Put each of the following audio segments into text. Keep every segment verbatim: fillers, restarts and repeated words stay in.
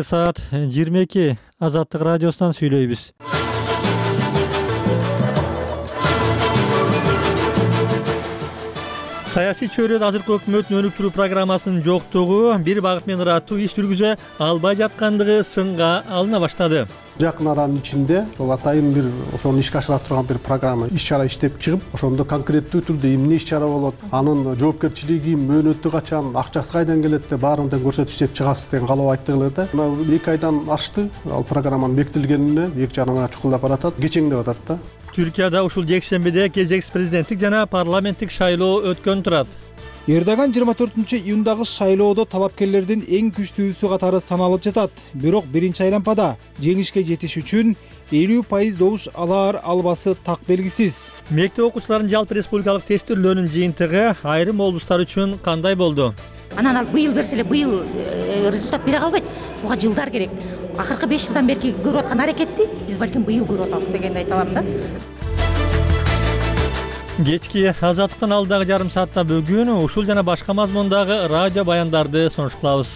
Саат жыйырма эки Азаттык радиосунан сүйлөйбүз. Саясий чөйрөдө азыркы өкмөттүн өнүктүрүү программасынын жоктугу бир багыт менен ыраттуу иш жүргүзө албай жаткандыгы сынга алына баштады. Жакын аранын ичинде ошол атайын бир ошону ишке ашыра турган бир программа, иш чара иштеп чыгып, ошондо конкреттүү түрдө эмне иш чара болот, анын жоопкерчилиги, мөөнөтү качан, акчасы кайдан келет деп баарын тең көрсөтүп иштеп чыгасыз деген каалоо айттыгылар да. Мына эки айдан ашты ал программанын бекитилгенине, эки жарым айга чукулдап баратат, кечеңдеп атат да. Түркияда ушул жекшембиде кезексиз президенттик жана парламенттик шайлоо өткөн турат. Эрдоган жыйырма төртүнчү июндагы шайлоодо талапкерлердин эң күчтүүсү катары саналып жатат. Бирок биринчи айлампада жеңишке жетиш үчүн элүү пайыз добуш алаар албасы так белгисиз. Мектеп окуучуларынын жалпы республикалык тестирлөөнүн жыйынтыгы айрым облустар үчүн кандай болду? Анан ал быйыл берсе эле быйыл результат бере калбайт. Буга жылдар керек. Акыркы беш жылдан бери көрүп аткан аракетти биз балким быйыл көрүп атабыз дегенди айта алам да. Кечки Азаттыктан алдагы жарым саатта бүгүн ушул жана башка мазмундагы радио баяндарды сунуш кылабыз.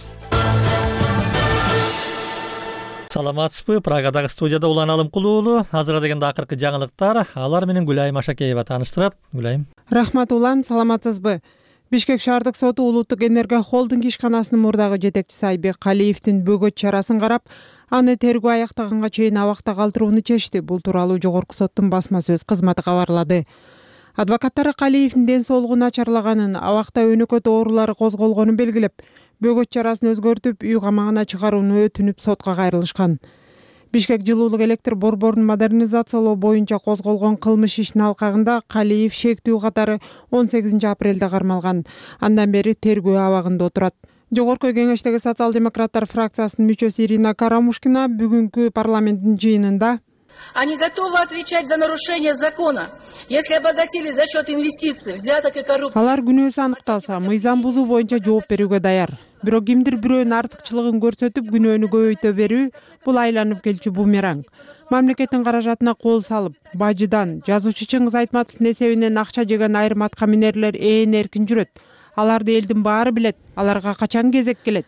Саламатсызбы? Прагадагы студияда Улан Алымкулуу. Азырга дегенде акыркы жаңылыктар, алар менен Гүлайым Ашакеева тааныштырат. Гүлайым. Рахмат Улан, саламатсызбы? Бишкек шаардык соту Улуттук энергия холдинг ишканасынын мурдагы жетекчиси Айбек Калиевдин бөгөт чарасын карап, аны тергөө аяктаганга чейин абакта калтырууну чечти. Бул тууралуу жогорку соттун басма сөз кызматы кабарлады. Адвокаттары Калиевдин ден соолугу начарлаганын, абакта өнөкөт оорулары козголгонун белгилеп, бөгөт чарасын өзгөртүп, үй камагына чыгарууну өтүнүп сотко кайрылышкан. Бишкек жылуулук электр борборун модернизациялоо боюнча козголгон кылмыш ишинин алкагында Калиев шектүү катары он сегизинчи апрелде кармалган. Андан бери тергөө абагында отурат. Жогорку кеңештеги социал-демократтар фракциясынын мүчөсү Ирина Карамушкина бүгүнкү парламенттин жыйынында Они готовы отвечать за нарушение закона, если обогатились за счет инвестиций, взяток и коррупции. Алар күнөөсү аныкталса, мыйзам бузуу боюнча жооп берүүгө даяр. Бирок кимдир бирөөнүн артыкчылыгын көрсөтүп, күнөөнү көбөйтө берүү бул айланып келчү бумеранг. Мамлекеттин каражатына кол салып, бажыдан, жазуучу Чыңгыз Айтматовдун эсебинен акча жеген айрым аткаминерлер ээн эркин жүрөт. Аларды элдин баары билет, аларга качан кезек келет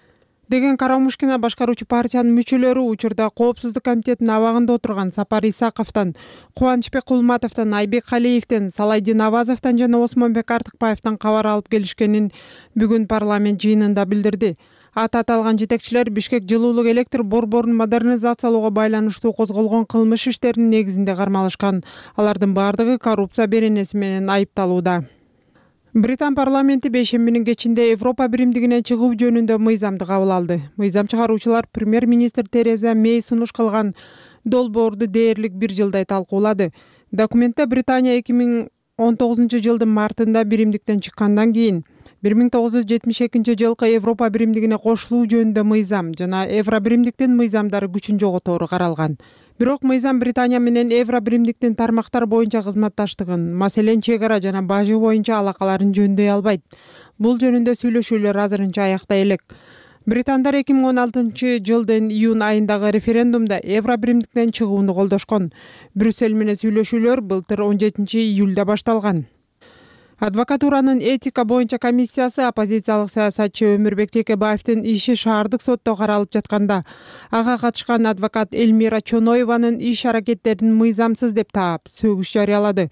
деген Карамушкина башкаруучу партиянын мүчөлөрү учурда Коопсуздук комитетинин абагында отурган Сапар Исаковдон, Кубанычбек Кулматовдон, Айбек Калиевден, Салайдин Абазовдон жана Осмонбек Артыкбаевден кабар алып келишкенин бүгүн парламент жыйынында билдирди. Аты аталган жетекчилер Бишкек жылуулук электр борборун модернизациялоого байланыштуу козголгон кылмыш иштеринин негизинде кармалышкан. Алардын баардыгы коррупция беренеси менен айыпталууда. Британ парламенти бейшембинин кечинде Европа биримдигинен чыгуу жөнүндө мыйзамды кабыл алды. Мыйзам чыгаруучулар премьер-министр Тереза Мэй сунуш кылган долбоорду дээрлик бир жылдай талкуулады. Документте Британия эки миң он тогузунчу жылдын мартында биримдиктен чыккандан кийин бир миң тогуз жүз жетимиш экинчи жылкы Европа биримдигине кошулуу жөнүндө мыйзам жана Евро биримдиктин мыйзамдары күчүн жоготору каралган. Бирок мыйзам Британия менен Евро биримдиктин тармактар боюнча кызматташтыгын, маселен чек ара жана бажы боюнча алакаларын жөндөй албайт. Бул жөнүндө сүйлөшүүлөр азырынча аякта элек. Британдар эки миң он алтынчы жылдын июнь айындагы референдумда Евро биримдиктен чыгууну колдошкон. Брюссель менен сүйлөшүүлөр былтыр он жетинчи июлда башталган. Адвокатуранын этика боюнча комиссиясы оппозициялык саясатчы Өмүрбек Текебаевдин иши шаардык сотто каралып жатканда, ага катышкан адвокат Элмира Чоноеванын иш аракеттерин мыйзамсыз деп таап, сөгүш жарыялады.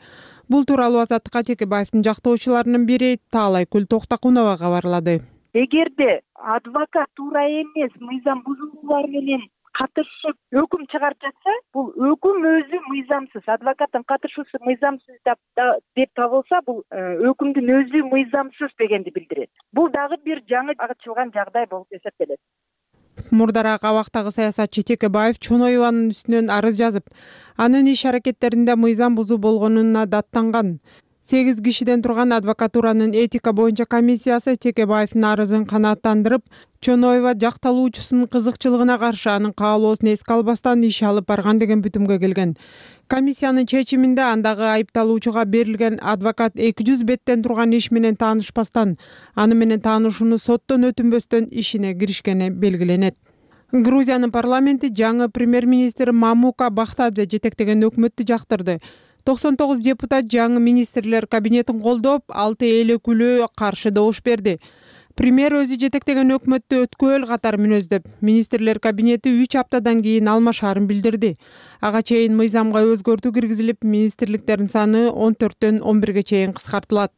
Бул тууралуу Азаттыкка Текебаевдин жактоочуларынын бири Таалайкүл Токтакунова кабарлады. Эгерде адвокат туура эмес мыйзам бузуулар менен катышып өкүм чыгарып жатса, бул өкүм өзү мыйзамсыз, адвокаттын катышуусу мыйзамсыз деп табылса, бул өкүмдүн өзү мыйзамсыз дегенди билдирет. Бул дагы бир жаңы ачылган жагдай болуп эсептелет. Мурдараак абактагы саясатчы Текебаев Чоноеванын үстүнөн арыз жазып, анын иш аракеттеринде мыйзам бузуу болгонуна даттанган. сегиз кишиден турган адвокатуранын этика боюнча комиссиясы Текебаевдин арызын канааттандырып, Чоноева жакталуучусунун кызыкчылыгына каршы анын каалоосун эске албастан иш алып барган деген бүтүмгө келген. Комиссиянын чечиминде андагы айыпталуучуга берилген адвокат эки жүз беттен турган иш менен таанышпастан, аны менен таанышууну соттон өтүнбөстөн ишине киришкени белгиленет. Грузиянын парламенти жаңы премьер-министр Мамука Бахтадзе жетектеген өкмөттү жактырды. токсон тогуз депутат жаңы министрлер кабинетин колдоп, алты эл өкүлү каршы добуш берди. Премьер өзү жетектеген өкмөттү өткөөл катар мүнөздөп, министрлер кабинети үч аптадан кийин алмашаарын билдирди. Ага чейин мыйзамга өзгөртүү киргизилип, министрликтердин саны он төрттөн он бирге чейин кыскартылат.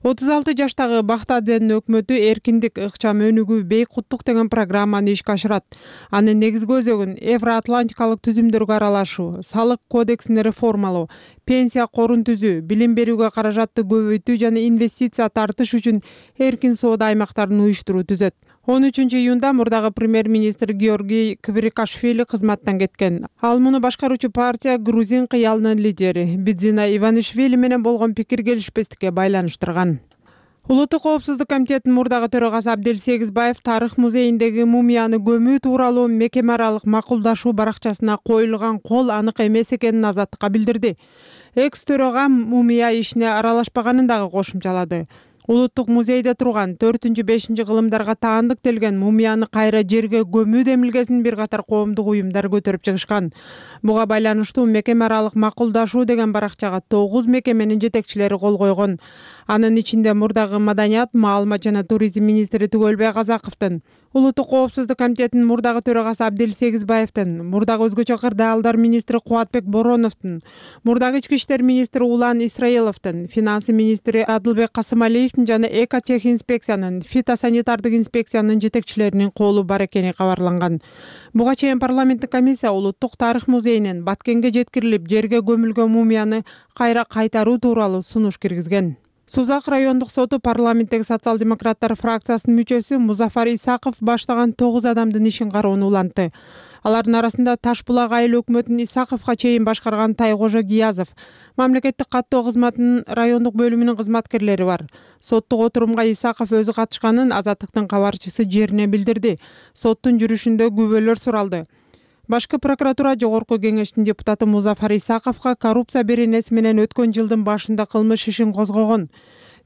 отуз алты жаштагы Бахтадзенин өкмөтү эркиндик, ыкчам өнүгүү, бейкуттук деген программаны ишке ашырат. Анын негизги өзөгүн Евроатлантикалык түзүмдөргө аралашуу, салык кодексин реформалоо, пенсия корун түзүү, билим берүүгө каражатты көбөйтүү жана инвестиция тартыш үчүн эркин соода аймактарын уюштуруу түзөт. он үчүнчү июнда мурдагы премьер-министр Георгий Кварикашвили кызматтан кеткен. Ал муну башкаруучу партия Грузин кыялынын лидери Бидзина Иванишвили менен болгон пикир келишпестикке байланыштырган. Улуттук коопсуздук комитетинин мурдагы төрагасы Абдел Сегизбаев Тарых музейиндеги мумияны көмүү тууралуу мекеме аралык макулдашуу баракчасына коюлган кол анык эмес экенин Азаттыкка билдирди. Экс төрага мумия ишине аралашпаганын дагы кошумчалады. Улуттук музейде турган төртүнчү бешинчи кылымдарга таандыктелген мумияны кайра жерге көмүү демилгесин бир катар коомдук уюмдар көтөрүп чыгышкан. Буга байланыштуу мекеме аралык макулдашуу деген баракчага тогуз мекеменин жетекчилери кол койгон. Анын ичинде мурдагы маданият, маалымат жана туризм министри Түгөлбай Казаковдун, Улуттук коопсуздук комитетинин мурдагы төрагасы Абдел Сегизбаевдин, мурдагы өзгөчө кырдаалдар министри Кубатбек Бороновдун, мурдагы ички иштер министри Улан Исраиловдун, финансы министри Адылбек Касымалиевдин жана экотехинспекциянын, фитосанитардык инспекциянын жетекчилеринин колу бар экени кабарланган. Буга чейин парламенттик комиссия Улуттук тарых музейинен Баткенге жеткирилип, жерге көмүлгөн мумияны кайра кайтаруу тууралуу сунуш киргизген. Сузак райондук соту парламенттеги социал-демократтар фракциясынын мүчөсү Музафар Исаков баштаган тогуз адамдын ишин кароону улантты. Алардын арасында Таш булак айыл өкмөтүн Исаковго чейин башкарган Тайкожо Гиязов, мамлекеттик каттоо кызматынын райондук бөлүмүнүн кызматкерлери бар. Соттук отурумга Исаков өзү катышканын Азаттыктын кабарчысы жерине билдирди. Соттун жүрүшүндө күбөлөр суралды. Башкы прокуратура жогорку кеңештин депутаты Музафар Исаковго коррупция беренеси менен өткөн жылдын башында кылмыш ишин козгогон.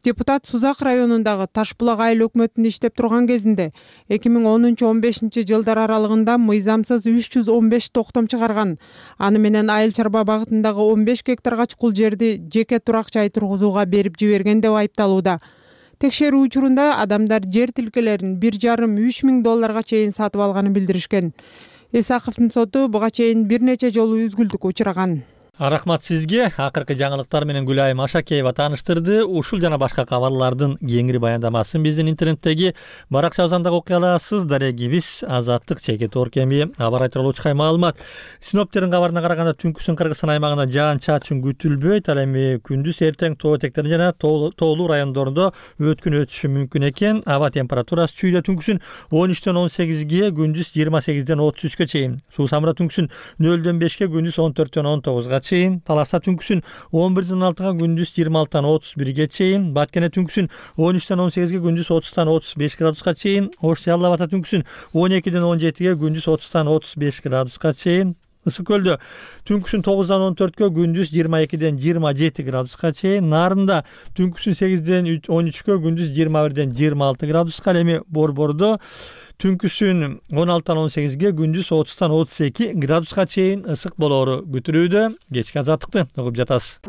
Депутат Сузак районундагы Таш булак айыл өкмөтүндө иштеп турган кезинде эки миң онунчу он бешинчи жылдар аралыгында мыйзамсыз үч жүз он беш токтом чыгарган. Аны менен айыл чарба багытындагы он беш гектарга чукул жерди жеке турак жай тургузууга берип жиберген деп айыпталууда. Текшерүү учурунда адамдар жер тилкелерин бир жарым үч миң долларга чейин сатып алганын билдиришкен. Исаковдун соту буга чейин бир нече жолу үзгүлтүккө учураган. Рахмат сизге. Акыркы жаңылыктар менен Гүлайым Ашакеева тааныштырды. Ушул жана башка кабарлардын кеңири баяндамасын биздин интернеттеги баракчабыздан окуй аласыз. Дарегибиз Азаттык чеки торкеми абар айтылуучу маалымат. Синоптиктердин кабарына караганда түнкүсүн Кыргызстан аймагында жаан-чачын күтүлбөйт. Ал эми күндүз эртең тоо этектерин жана тоолуу райондордо өткүн өтүшү мүмкүн экен. Аба температурасы чүйдө түнкүсүн он үчтөн он сегизге, күндүз жыйырма сегизден отуз үчкө чейин. Суусамыра түнкүсүн нөлдөн бешке, күндүз он төрттөн он тогузга чейин. Таласта түнкүсүн он бирден он алтыга, күндүз жыйырма алтыдан отуз бирге чейин. Баткене түнкүсүн он үчтөн он сегизге, күндүз отуздан отуз беш градуска чейин. Ош Жалал Абада түнкүсүн он экиден он жетиге, күндүз отуздан отуз беш градуска чейин. Ысык көлдө түнкүсүн тогуздан он төрткө, күндүз жыйырма экиден жыйырма жети градуска чейин. Нарында түнкүсүн сегизден он үчкө, күндүз жыйырма бирден жыйырма алты градуска. Эми Борбордо түнкүсүн он алтыдан он сегизге, күндүз отуздан отуз эки градуска чейин ысык болоору күтүлүүдө. Кечки Азаттыкты угуп жатасыз.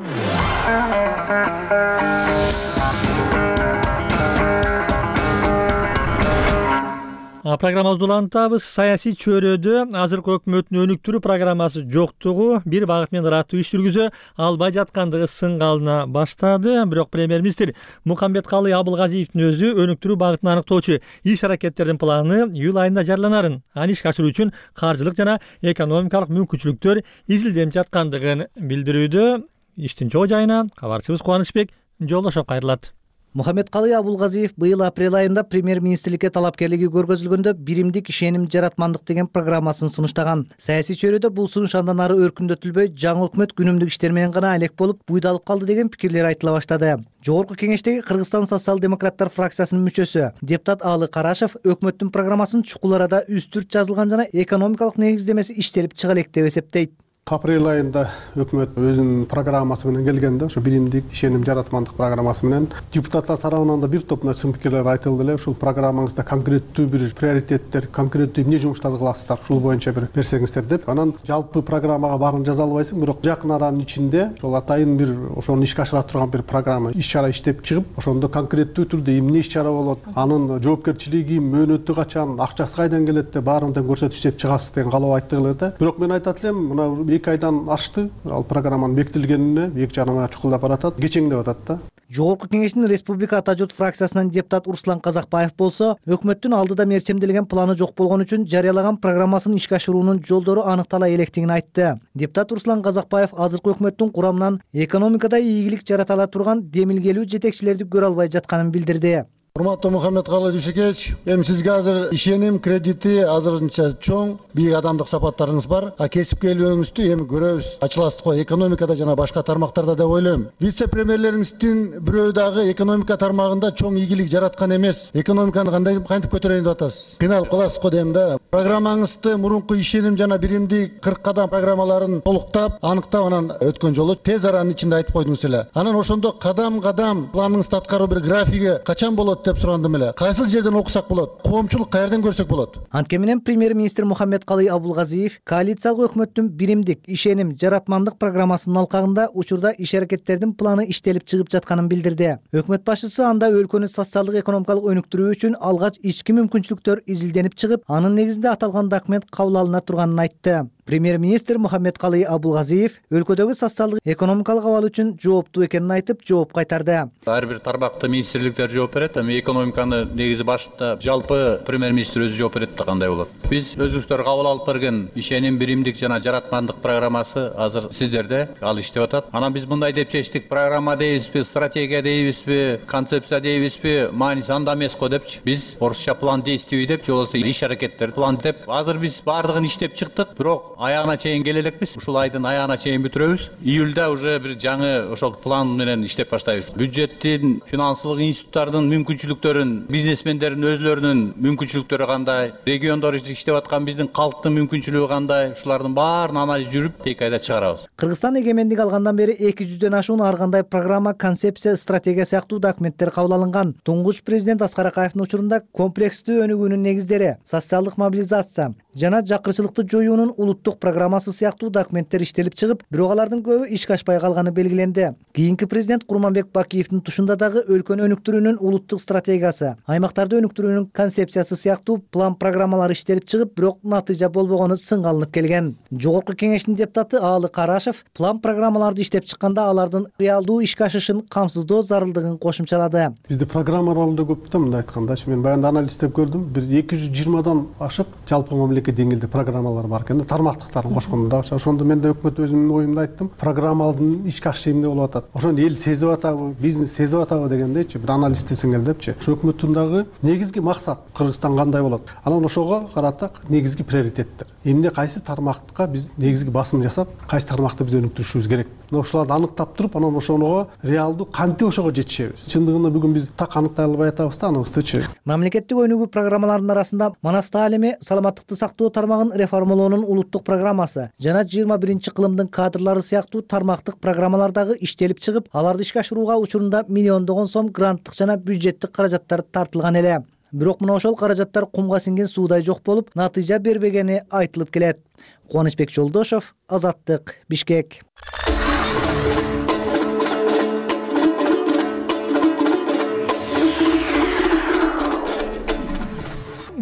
Программабызды улантабыз. Саясий чөйрөдө азыркы өкмөттүн өнүктүрүү программасы жоктугу бир багыт менен ыраттуу иш жүргүзө албай жаткандыгы сынгалына баштады. Бирок премьер-министр Мукамбеткалый Абылгазиевдин өзү өнүктүрүү багытын аныктоочу иш аракеттердин планы июль айында жарыяланарын, аны ишке ашыруу үчүн каржылык жана экономикалык мүмкүнчүлүктөр изилденип жаткандыгын билдирүүдө. Иштин чоо жайына кабарчыбыз Кубанычбек жолдошуп кайрылат. Мухамбеткалый Абылгазиев быйыл апрель айында премьер-министрликке талапкерлиги көргөзүлгөндө биримдик ишеним жаратмандык деген программасын сунуштаган. Саясий чөйрөдө бул сунуш андан ары өркүндөтүлбөй, жаңы өкмөт күнүмдүк иштер менен гана алек болуп, буйдалып калды деген пикирлер айтыла баштады. Жогорку кеңештеги Кыргызстан социал-демократтар фракциясынын мүчөсү депутат Аалы Карашев өкмөттүн программасын чукул арада үстүрт жазылган жана экономикалык негиздемеси иштелип чыга элек деп эсептейт. Апрель айында өкмөт өзүнүн программасы менен келгенде ошо биримдик ишеним жаратмандык программасы менен депутаттар тарабынан да бир топ сын пикирлер айтылды эле. Ушул программаңызда конкреттүү бир приоритеттер, конкреттүү эмне жумуштарды кыласыздар, ушул боюнча бир берсеңиздер деп. Анан жалпы программага баарын жаза албайсың, бирок жакын аранын ичинде ошол атайын бир ошону ишке ашыра турган бир программа, иш чара иштеп чыгып, ошондо конкреттүү түрдө эмне иш чара болот, анын жоопкерчилиги, мөөнөтү качан, акчасы кайдан келет деп баарын тең көрсөтүп иштеп чыгасыз деген каалоо айттык эле да. Бирок мен айтат элем, мына эки айдан ашты ал программанын бекитилгенине, эки жарым айга чукулдап баратат, кечеңдеп атат да. Жогорку Кеңештин Республика Ата журт фракциясынан депутат Руслан Казакбаев болсо, өкмөттүн алдыда мерчемделген планы жок болгон үчүн жарыялаган программасын ишке ашыруунун жолдору аныктала электигин айтты. Депутат Руслан Казакбаев азыркы өкмөттүн курамынан экономикада ийгилик жарата ала турган демилгелүү жетекчилерди көрө албай жатканын билдирди. Урматтуу Мухаммедкалый Дүйшекевич, эми сизге азыр ишеним кредити азырынча чоң, бийик адамдык сапаттарыңыз бар. А кесипкерлигиңизди эми көрөбүз. Ачыласыз го экономикада жана башка тармактарда деп ойлойм. Вице-премьерлериңиздин бирөө дагы экономика тармагында чоң ийгилик жараткан эмес. Экономиканы кандай кантип көтөрөйүн деп атасыз? Кыйналып каласыз го дейм да. Программаңызды мурунку ишеним жана биримдик кырк кадам программаларын толуктап, аныктап, анан өткөн жолу тез аранын ичинде айтып койдуңуз эле. Анан ошондо кадам-кадам планыңызды аткаруу бир графиги качан болот деп сурандым эле. Кайсыл жерден окусак болот? Коомчулук каерден көрсөк болот? Анткени менен премьер-министр Мухаммедкалый Абулгазиев коалициялык өкмөттүн биримдик ишеним жаратмандык программасынын алкагында учурда иш-аракеттердин планы иштелип чыгып жатканын билдирди. Өкмөт башчысы анда өлкөнү социалдык экономикалык өнүктүрүү үчүн алгач ички мүмкүнчүлүктөр изилденип чыгып, анын негизинде аталган документ кабыл алына турганын айтты. Премьер-министр Мухаммедкалый Абулгазиев өлкөдөгү социалдык экономикалык абал үчүн жооптуу экенин айтып, жооп кайтарды. Ар бир тармакта министрликтер жооп берет, эми экономиканы негизи башында жалпы премьер-министр өзү жооп берет да кандай болот. Биз өзүңүздөр кабыл алып берген ишеним биримдик жана жаратмандык программасы азыр сиздерде ал иштеп атат. Анан биз мындай деп чечтик: программа дейбизби, стратегия дейбизби, концепция дейбизби, мааниси анда эмес го депчи. Биз орусча план действий деп, же болбосо иш-аракеттер план деп. Азыр биз баардыгын иштеп чыктык, бирок аягына чейин келе элекпиз. Ушул айдын аягына чейин бүтүрөбүз. Июлда уже бир жаңы ошол план менен иштеп баштайбыз. Бюджеттин, финансылык институттардын мүмкүнчүлүктөрүн, бизнесмендердин өзлөрүнүн мүмкүнчүлүктөрү кандай, региондор иштеп аткан биздин калктын мүмкүнчүлүгү кандай, ушулардын баарын анализ жүрүп, эки айда чыгарабыз. Кыргызстан эгемендик алгандан бери эки жүздөн ашуун ар кандай программа, концепция, стратегия сыяктуу документтер кабыл алынган. Туңгуч президент Аскар Акаевдин учурунда комплекстүү өнүгүүнүн негиздери, социалдык мобилизация жана жакырчылыкты жоюунун улуттук программасы сыяктуу документтер иштелип чыгып, бирок алардын көбү ишке ашпай калганы белгиленди. Кийинки президент Курманбек Бакиевдин тушунда дагы өлкөнү өнүктүрүүнүн улуттук стратегиясы, аймактарды өнүктүрүүнүн концепциясы сыяктуу план программалар иштелип чыгып, бирок натыйжа болбогону сынга алынып келген. Жогорку Кеңештин депутаты Аалы Карашев план программаларды иштеп чыкканда алардын реалдуу ишке ашышын камсыздоо зарылдыгын кошумчалады. Бизде программалар да көп да, мындай айткандачы. Мен баягы анализдеп көрдүм. Бир эки жүз жыйырмадан ашык жалпы мамлекет деңгээлде программалар бар экен да, тармактыктарын кошкондо. Ошондо мен да өкмөт өзүмдүн оюмду айттым. Программалардын ишке ашышы эмне болуп атат? Ошону эл сезип атабы, бизнес сезип атабы дегендейчи, бир анализ десеңер депчи. Ошо өкмөттүн дагы негизги максат Кыргызстан кандай болот? Анан ошого карата негизги приоритеттер. Эмне кайсы тармакка биз негизги басым жасап, кайсы тармакты биз өнүктүрүшүбүз керек? Мына ошолорду аныктап туруп, анан ошого реалдуу кантип ошого жетишебиз? Чындыгында бүгүн биз так аныктай албай атабыз да аныбыздычы. Мамлекеттик өнүгүү программаларынын арасында манас таалими, саламаттыкты сактоо тармагын реформалоонун улуттук программасы жана жыйырма биринчи кылымдын кадрлары сыяктуу тармактык программалар дагы иштелип чыгып, аларды ишке ашырууга учурунда миллиондогон сом гранттык жана бюджеттик каражаттар тартылган эле. Бирок мына ошол каражаттар кумга сиңген суудай жок болуп, натыйжа бербегени айтылып келет. Кубанычбек Жолдошов, Азаттык, Бишкек.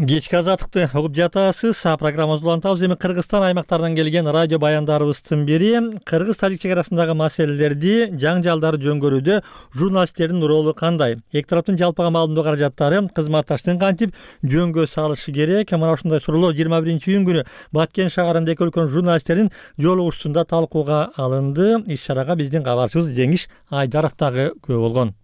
Кечки азаттыкты угуп жатасыз. Программабызды улантабыз. Эми Кыргызстан аймактарынан келген радио баяндарыбыздын бири Кыргыз-Тажик чек арасындагы маселелерди, жаңжалдарды жөнгөрүүдө журналисттердин ролу кандай? Эки тараптын жалпыга маалымдоо каражаттары кызматташтыгын кантип жөнгө салышы керек? Мына ушундай суроолор жыйырма биринчи июнь күнү Баткен шаарында эки өлкөнүн журналисттерин жолугушуусунда талкууга алынды. Иш чарага биздин кабарчыбыз Жеңиш Айдаров дагы күбө болгон.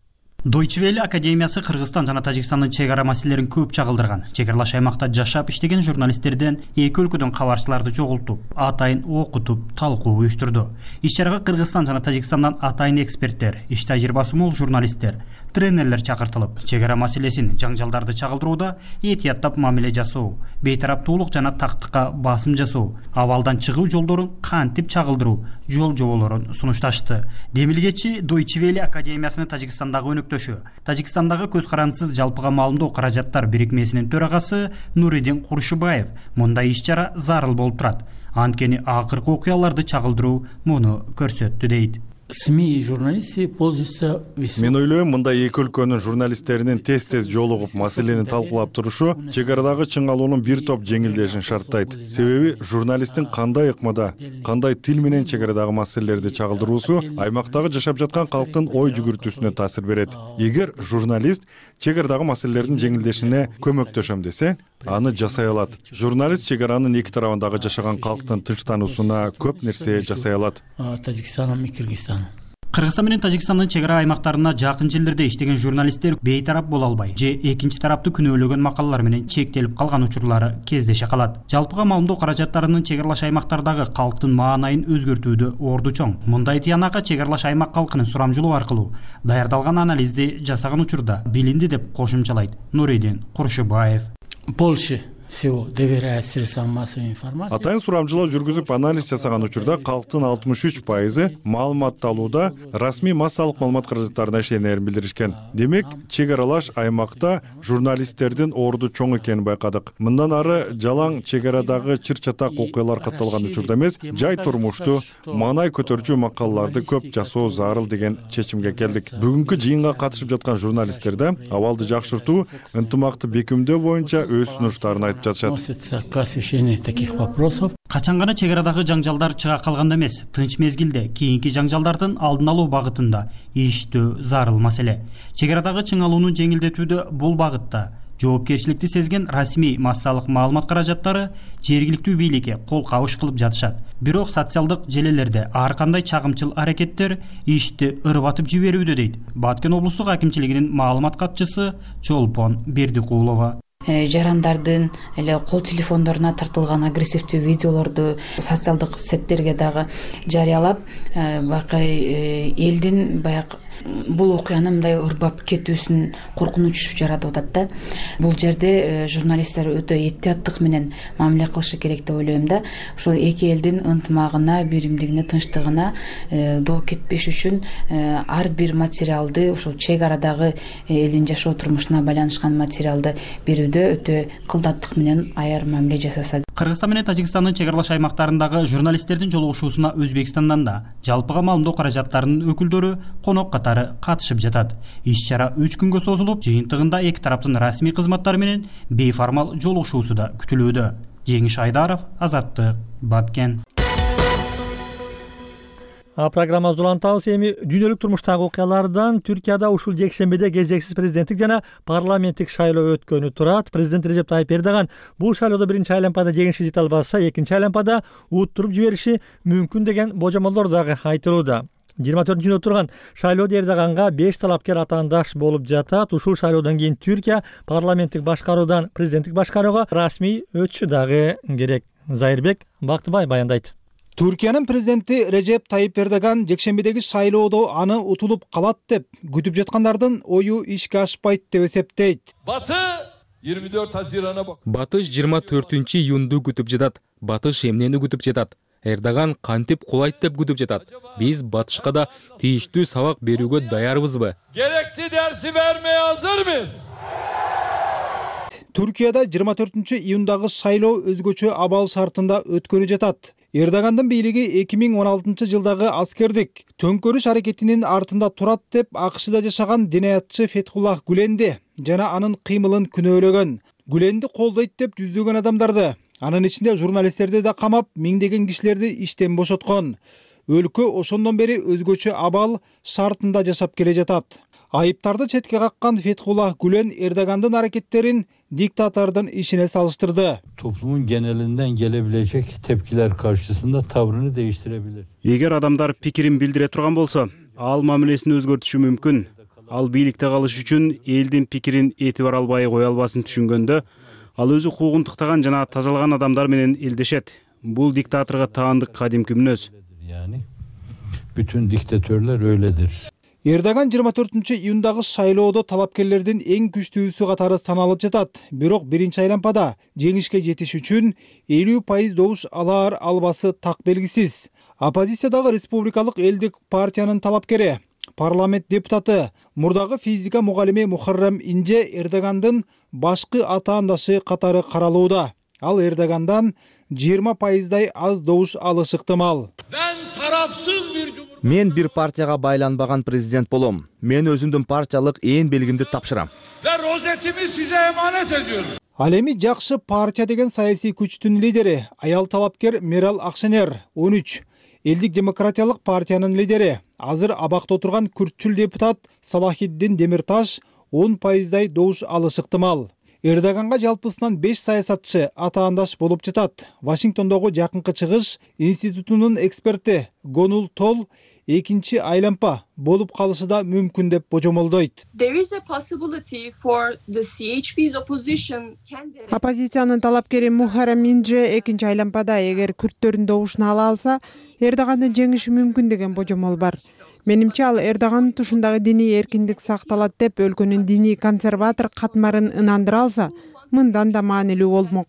Deutsche Welle академиясы Кыргызстан жана Тажикстандын чек ара маселелерин көп чагылдырган. Чек аралаш аймакта жашап иштеген журналисттерден эки өлкөдөн кабарчыларды чогултуп, атайын окутуп, талкуу уюштурду. Иш-чарага Кыргызстан жана Тажикстандан атайын эксперттер, иш тажрыйбасы мол журналисттер, тренерлер чакыртылып, чек ара маселесин, жаңжалдарды чагылдырууда этияттап мамиле жасоо, бейтараптуулук жана тактыкка басым жасоо, абалдан чыгуу жолдорун кантип чагылдыруу жол жоболорун сунушташты. Демилгечи Deutsche Welle академиясынын Тажикстандагы өнөктөшү, Тажикстандагы көз карандысыз жалпыга маалымдоо каражаттар бирикмесинин төрагасы Нуридин Куршубаев мындай иш-чара зарыл болуп турат. Анткени акыркы окуяларды чагылдыруу муну көрсөттү дейт. СМИ журналисты пользуются. Мен ойлойм, мындай эки өлкөнүн журналисттеринин тез-тез жолугуп маселени талкуулап турушу чек арадагы чыңалуунун бир топ жеңилдешин шарттайт. Себеби журналисттин кандай ыкмада, кандай тил менен чек арадагы маселелерди чагылдыруусу аймактагы жашап жаткан калктын ой жүгүртүүсүнө таасир берет. Эгер журналист чек арадагы маселелердин жеңилдешине көмөктөшөм десе, аны жасай алат. Журналист чек аранын эки тарабындагы жашаган калктын тынчтануусуна көп нерсе жасай алат. Тажикстаном и Кыргызстаном. Кыргызстан менен Тажикстандын чек ара аймактарына жакын жерлерде иштеген журналисттер бейтарап боло албай же экинчи тараптуу күнөөлөгөн макалалар менен чектелип калган учурлары кездеше калат. Жалпыга маалымдоо каражаттарынын чек аралаш аймактардагы калктын маанайын өзгөртүүдө орду чоң. Мындай тыянакка чек аралаш аймак калкынын сурамжылоо аркылуу даярдалган анализди жасаган учурда билинди деп кошумчалайт Нуридин Куршубаев. Больше всего доверяет средствам массовой информации. Атайын сурамжылоо жүргүзүп анализ жасаган учурда калктын алтымыш үч пайызы маалыматталууда расмий массалык маалымат каражаттарына ишенерин билдиришкен. Демек, чек аралаш аймакта журналисттердин орду чоң экенин байкадык. Мындан ары жалаң чек арадагы чыр-чатак окуялар катталган учурда эмес, жай турмушту, маанай көтөрчү макалаларды көп жасоо зарыл деген чечимге келдик. Бүгүнкү жыйынга катышып жаткан журналисттерде абалды жакшыртуу, ынтымакты бекемдөө боюнча өз сунуштарын айтып относится к освещению таких вопросов. Качан гана чек арадагы жаңжалдар чыга калганда эмес, тынч мезгилде кийинки жаңжалдардын алдын алуу багытында иштөө зарыл маселе. Чек арадагы чыңалууну жеңилдетүүдө бул багытта жоопкерчиликти сезген расмий массалык маалымат каражаттары жергиликтүү бийликке кол кабыш кылып жатышат. Бирок социалдык желелерде ар кандай чагымчыл аракеттер ишти ырбатып жиберүүдө дейт Баткен облустук акимчилигинин маалымат катчысы Чолпон Бердикулова. Жарандардын эле кол телефондоруна тартылган агрессивдүү видеолорду социалдык сеттерге дагы жарыялап, байкай элдин баягы бул окуяны мындай ырбап кетүүсүн коркунуч жаратып атат да. Бул жерде журналисттер өтө этияттык менен мамиле кылышы керек деп ойлойм да. Ошол эки элдин ынтымагына, биримдигине, тынчтыгына доо кетпеш үчүн ар бир материалды, ошол чек арадагы элдин жашоо турмушуна байланышкан материалды берүүдө өтө кылдаттык менен аяр мамиле жасаса. Кыргызстан менен Тажикстандын чек аралаш аймактарындагы журналисттердин жолугушуусуна Өзбекстандан да жалпыга маалымдоо каражаттарынын өкүлдөрү конок катары катышып жатат. Иш-чара үч күнгө созулуп, жыйынтыгында эки тараптын расмий кызматтары менен бейформал жолугушуусу да күтүлүүдө. Жеңиш Айдаров, Азаттык, Баткен. Программа улантабыз. Эми дүйнөлүк турмуштагы окуялардан Түркияда ушул жекшембиде кезексиз президенттик жана парламенттик шайлоо өткөнү турат. Президент Режеп Тайып Эрдоган бул шайлоодо биринчи айлампада жеңишке жете албаса, экинчи айлампада уттуруп жибериши мүмкүн деген божомолдор дагы айтылууда. жыйырма төртүнчү отурган шайлоодо Эрдоганга беш талапкер атаандаш болуп жатат. Ушул шайлоодон кийин Түркия парламенттик башкаруудан президенттик башкарууга расмий өтүшү дагы керек. Зайырбек Бактыбай баяндайт. Түркиянын президенти Режеп Тайып Эрдоган жекшембидеги шайлоодо аны утулуп калат деп күтүп жаткандардын ою ишке ашпайт деп эсептейт. Батыш жыйырма төрт азирана Батыш жыйырма төртүнчү июнду күтүп жатат. Батыш эмнени күтүп жатат? Эрдоган кантип кулайт деп күтүп жатат. Биз Батышка да тийиштүү сабак берүүгө даярбызбы? Керектүү дерси бермей азырбыз. Түркияда жыйырма төртүнчү июндагы шайлоо өзгөчө абал шартында өткөнү жатат. Эрдогандын бийлиги эки миң он алтынчы жылдагы аскердик төңкөрүш аракетинин артында турат деп АКШда жашаган динаятчы Фетхуллах Гүленди жана анын кыймылын күнөөлөгөн. Гүленди колдойт деп жүздөгөн адамдарды, анын ичинде журналисттерди да камап, миңдеген кишилерди иштен бошоткон. Өлкө ошондон бери өзгөчө абал шартында жашап келе жатат. Айыптарды четке каккан Фетхуллах Гүлен Эрдогандын аракеттерин diktatörden işine salıştırdı. Toplumun genelinden gelebilecek tepkiler karşısında tavrını değiştirebilir. Егер адамдар пикирин билдире турган болсо, ал мамилесин өзгөртүшү мүмкүн. ал бийликте калыш үчүн элдин пикирин этибар албай кое албасын түшүнгөндө ал өзү укугун тыктаган жана тазалаган адамдар менен элдешет. Бул диктаторго таандык кадимки мүнөз. Bütün diktatörler öyledir. Эрдоган жыйырма төртүнчү июндагы шайлоодо талапкерлердин эң күчтүүсү катары саналып жатат. Бирок биринчи айлампада жеңишке жетиш үчүн элүү пайыз добуш алаар албасы так белгисиз. Оппозициядагы республикалык элдик партиянын талапкери, парламент депутаты, мурдагы физика мугалими Мухаррам Инже Эрдогандын башкы атаандашы катары каралууда. Ал Эрдогандан жыйырма пайыздай аз добуш алышы ыктымал. Мен бир партияга байланбаган президент болом. Мен өзүмдүн партиялык ээн белгимди тапшырам. Ал эми жакшы партия деген саясий күчтүн лидери аял талапкер Мерал Акшенер он үч, элдик демократиялык партиянын лидери азыр абакта отурган күртчүл депутат Салахиддин Демирташ он пайыздай добуш алышы ыктымал. Эрдоганга жалпысынан беш саясатчы атаандаш болуп жатат. Вашингтондогу Жакынкы Чыгыш институтунун эксперти Гонул Тол экинчи айлампа болуп калышы да мүмкүн деп божомолдойт. Оппозициянын талапкери Мухаррам Инже экинчи айлампада эгер күрттөрдүн добушун ала алса, Эрдогандын жеңиши мүмкүн деген божомол бар. Менимче ал Эрдоган тушундагы диний эркиндик сакталат деп өлкөнүн диний консерватор катмарын ынандыра алса, мындан да маанилүү болмок.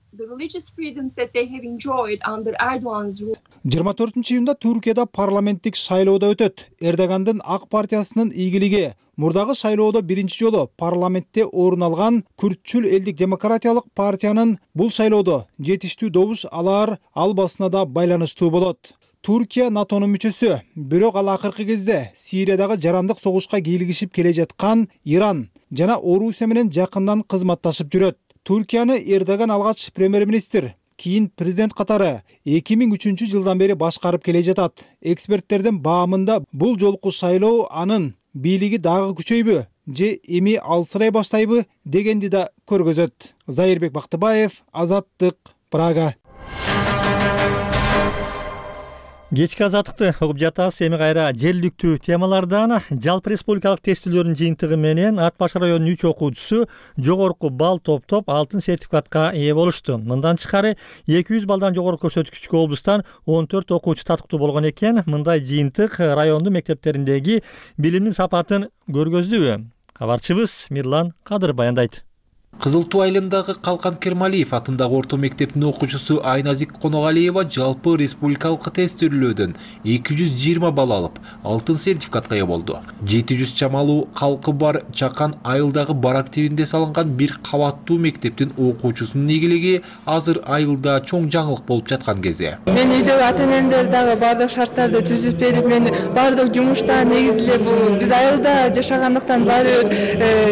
жыйырма төртүнчү июнда Түркияда парламенттик шайлоодо өтөт. Эрдогандын ак партиясынын ийгилиги мурдагы шайлоодо биринчи жолу парламентте орун алган күртчүл элдик демократиялык партиянын бул шайлоодо жетиштүү добуш алаар албасына да байланыштуу болот. Түркия НАТОнун мүчөсү, бирок ал акыркы кезде Сириядагы жарандык согушка кийлигишип келе жаткан Иран жана Орусия менен жакындан кызматташып жүрөт. Түркияны Эрдоган алгач премьер-министр, кийин президент катары эки миң үчүнчү жылдан бери башкарып келе жатат. Эксперттердин баамында бул жолку шайлоо анын бийлиги дагы күчөйбү же эми алсырай баштайбы дегенди да көргөзөт. Зайырбек Бактыбаев, Азаттык, Прага. Кечки азаттыкты угуп жатабыз. Эми кайра желдиктүү темалардан жалпы республикалык тестилөөрдүн жыйынтыгы менен Ат баш районунун үч окуучусу жогорку балл топтоп алтын сертификатка ээ болушту. Мындан тышкары эки жүз баллдан жогору көрсөткүчкө облустан он төрт окуучу татыктуу болгон экен. Мындай жыйынтык райондун мектептериндеги билимдин сапатын көргөздүбү? Кабарчыбыз Мирлан Кадыр баяндайт. Кызыл Туу айылындагы Калкан Кермалиев атындагы орто мектептин окуучусу Айназик Коногалиева жалпы республикалык тестилөөдөн эки жүз жыйырма балл алып, алтын сертификатка ээ болду. жети жүз чамалуу калкы бар Чакан айылдагы барак тибинде салынган бир кабаттуу мектептин окуучусунун ийгилиги азыр айылда чоң жаңылык болуп жаткан кезде. Мен үйдөгү ата-энемдер дагы бардык шарттарды түзүп берип, мен бардык жумуштан негизи эле бул биз айылда жашагандыктан баары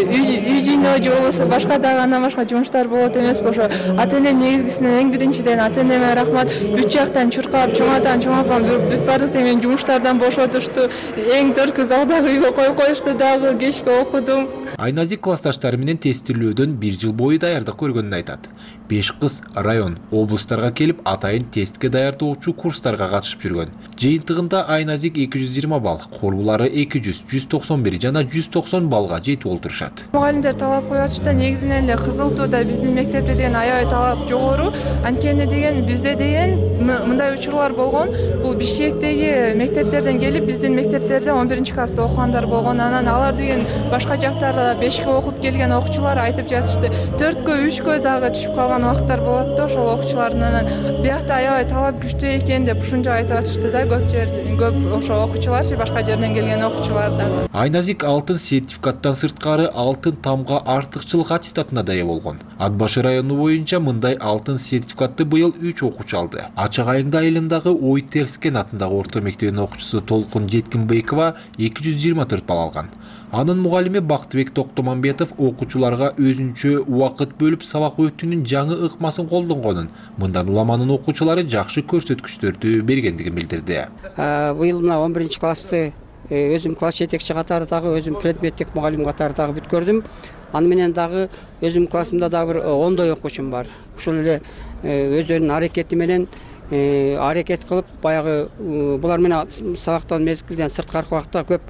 үй жыйноо же болбосо башка андан башка жумуштар болот эмес ошо ата-энем негизгисинен эң биринчиден ата-энеме рахмат. Бүт жактан чуркап, чоң атам, чоң апам бүт бардыктан мен жумуштардан бошотушту. Эң төрткү залдагы үйгө коюп коюшту дагы кечке окудум. Айназик классташтары менен тестилөөдөн бир жыл бою даярдык көргөнүн айтат. Беш кыз район, облустарга келип атайын тестке даярдоочу курстарга катышып жүргөн. Жыйынтыгында Айназик эки жүз жыйырма балл, корбулары эки жүз, жүз токсон бир жана жүз токсон баллга жетип олтурушат. Мугалимдер талап коюп атышта негизинен эле Кызыл Тууда биздин мектепте деген аябай талап жогору. Анткени деген бизде деген мындай учурлар болгон. Бул Бишкектеги мектептерден келип биздин мектептерде он биринчи класста окугандар болгон. Анан алар деген башка жактарда бешке окуп келген окуучулар айтып жатышты. төрткө, үчкө дагы түшүп калган убакыттар болот да ошол окуучулардын. Анан биякта аябай талап күчтүү экен деп ушунча айтып атышты да көп жер көп ошо окуучуларчы башка жерден келген окуучулар да. Айназик алтын сертификаттан сырткары алтын тамга артыкчылык аттестатына да ээ болгон. Ат башы району боюнча мындай алтын сертификатты быйыл үч окуучу алды. Ачак айылда айылындагы Ой Терскен атындагы орто мектебинин окуучусу Толкун Жеткинбекова эки жүз жыйырма төрт балл алган. Анын мугалими Бактыбек Токтомамбетов окуучуларга өзүнчө убакыт бөлүп сабак өтүүнүн жаңы ыкмасын колдонгонун, мындан уламанын окуучулары жакшы көрсөткүчтөрдү бергендигин билдирди. Быйыл мына он биринчи классты өзүм класс жетекчи катары дагы өзүм предметтик мугалим катары дагы бүткөрдүм. Аны менен дагы өзүм классымда дагы бир ондой окуучум бар. Ушул эле өздөрүнүн аракети менен аракет кылып баягы булар менен сабактан мезгилден сырткаркы убакта көп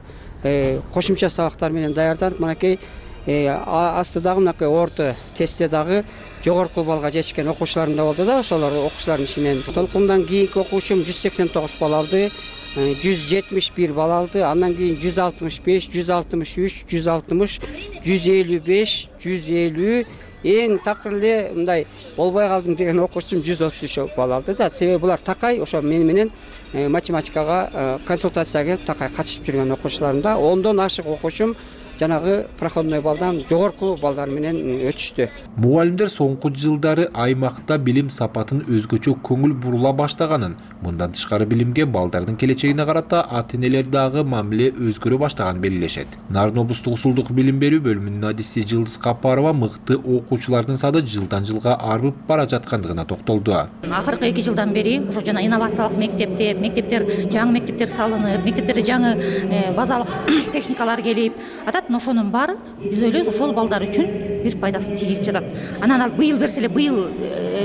кошумча сабактар менен даярданып мынакей астыдагы мынакей орто тестте дагы жогорку баллга жетишкен окуучуларым да болду да, ошолор окуучулардын ичинен толкундан кийинки окуучум жүз сексен тогуз балл алды, жүз жетимиш бир балл алды, андан кийин жүз алтымыш беш, жүз алтымыш үч, жүз алтымыш, жүз элүү беш, жүз элүү, эң такыр эле мындай болбой калдым деген окуучум жүз отуз үч балл алды да. Себеби булар такай ошо мени менен математикага консультацияга келип такай катышып жүргөн окуучуларым да. ондон ашык окуучум жанагы проходной баллдан жогорку балдар менен өтүштү. Мугалимдер соңку жылдары аймакта билим сапатын өзгөчө көңүл бурула баштаганын, мындан тышкары билимге балдардын келечегине карата ата-энелер дагы мамиле өзгөрө баштаганын белгилешет. Нарын облустук усулдук билим берүү бөлүмүнүн адиси Жылдыз Капарова мыкты окуучулардын саны жылдан жылга арбып бара жаткандыгына токтолду. Акыркы эки жылдан бери ошо жана инновациялык мектептер, мектептер, жаңы мектептер салынып, мектептерде жаңы базалык техникалар келип атат. Ошонун баары биз ойлойбуз ошол балдар үчүн бир пайдасын тийгизип жатат. Анан ал быйыл берсе эле быйыл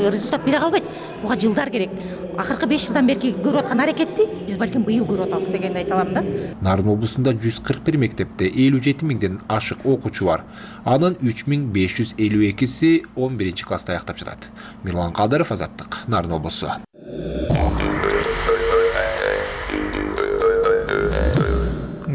результат бере калбайт. Буга жылдар керек. Акыркы беш жылдан бери көрүп аткан аракетти биз балким быйыл көрүп атабыз дегенди айта алам да. Нарын облусунда жүз кырк бир мектепте элүү жети миңден ашык окуучу бар. Анын үч миң беш жүз элүү экиси он биринчи класста аяктап жатат. Мирлан Кадыров, Азаттык, Нарын облусу.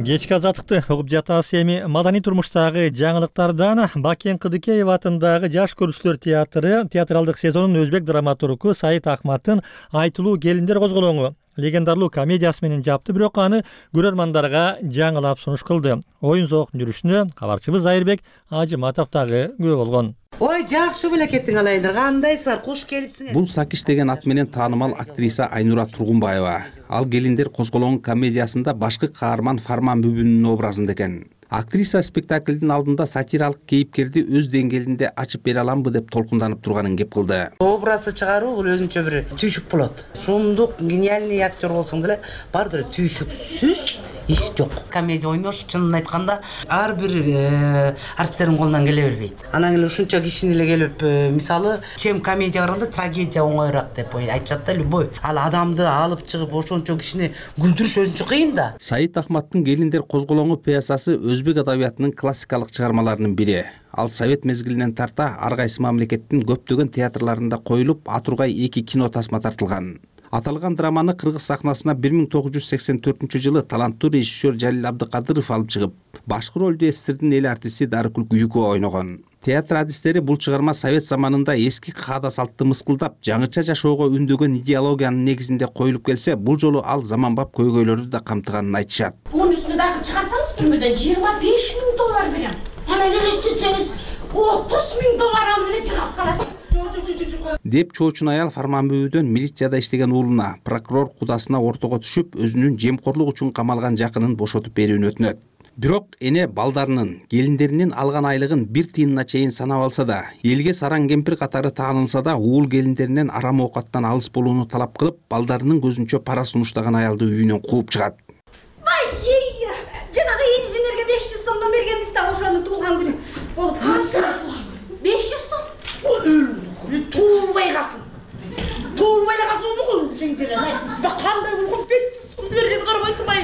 Кечки азаттыкты угуп жатабыз. Эми маданий турмуштагы жаңылыктардан Бакен Кыдыкеев атындагы Жаш көрүүчүлөр театры театралдык сезонунун өзбек драматургу Саид Ахматтын айтылуу келиндер козголоңу легендарлуу комедиясы менен жапты, бирок аны көрөрмандарга жаңылап сунуш кылды. Оюн зоокун жүрүшүнө кабарчыбыз Айырбек Ажыматов дагы күбө болгон. Ой, жакшы белекеттиң алайындар, кандайсыңар, куш келипсиңер. Бул Сакиш деген ат менен таанымал актриса Айнура Тургунбаева. Ал келиндер козголоңу комедиясында башкы каарман Фарман Бүбүнүн образында экен. Актриса спектаклдин алдында сатиралык кейипкерди өз деңгээлинде ачып бере аламбы деп толкунданып турганын кеп кылды. Образды чыгаруу бул өзүнчө бир түйшүк болот. Шумдук, гениальный актер болсоң деле бардыр түйшүксүз иш жок. Комедия ойнош чынын айтканда ар бир артисттердин колунан келе бербейт. Анан эле ушунча кишини эле келип, мисалы, чем комедия караганда трагедия оңоюраак деп айтышат да, любой. Ал адамды алып чыгып ошончо кишини күлдүрүш өзүнчө кыйын да. Саид Ахматтын келиндер козголоңу пьесасы өзбек адабиятынын классикалык чыгармаларынын бири. Ал совет мезгилинен тарта ар кайсы мамлекеттин көптөгөн театрларында коюлуп, атургай эки кино тасма тартылган. Аталган драманы кыргыз сахнасына бир миң тогуз жүз сексен төртүнчү жылы таланттуу режиссер Жалил Абдыкадыров алып чыгып, башкы ролду СССРдин эл артисти Дарыкүл Күйүкова ойногон. Театр адистери бул чыгарма совет заманында эски каада салтты мыскылдап, жаңыча жашоого үндөгөн идеологиянын негизинде коюлуп келсе, бул жолу ал заманбап көйгөйлөрдү да камтыганын айтышат. Мунун үстүнө дагы чыгарсаңыз түрмөдөн жыйырма беш миң доллар берем. Анан элестетсеңиз отуз миң доллар алып эле чыгып каласыз. Деп чоочун аял Фарман Бүбүдөн милицияда иштеген уулуна, прокурор кудасына ортого түшүп, өзүнүн жемкорлук үчүн камалган жакынын бошотуп берүүнү өтүнөт. Бирок эне балдарынын, келиндеринин алган айлыгын бир тыйынына чейин санап алса да, элге сараң кемпир катары таанылса да, уул келиндеринен арам оокаттан алыс болууну талап кылып, балдарынын көзүнчө пара сунуштаган аялды үйүнөн кууп чыгат. Вай, ей, жанагы инженерге беш жүз сомдон бергенбиз да ошонун туулган күнү болуп калды. беш жүз сом? Туылбай калсын. Туылбай эле калсын болмогул инженер. Кандай болгон беш жүз сомду берген карабайсыңбы?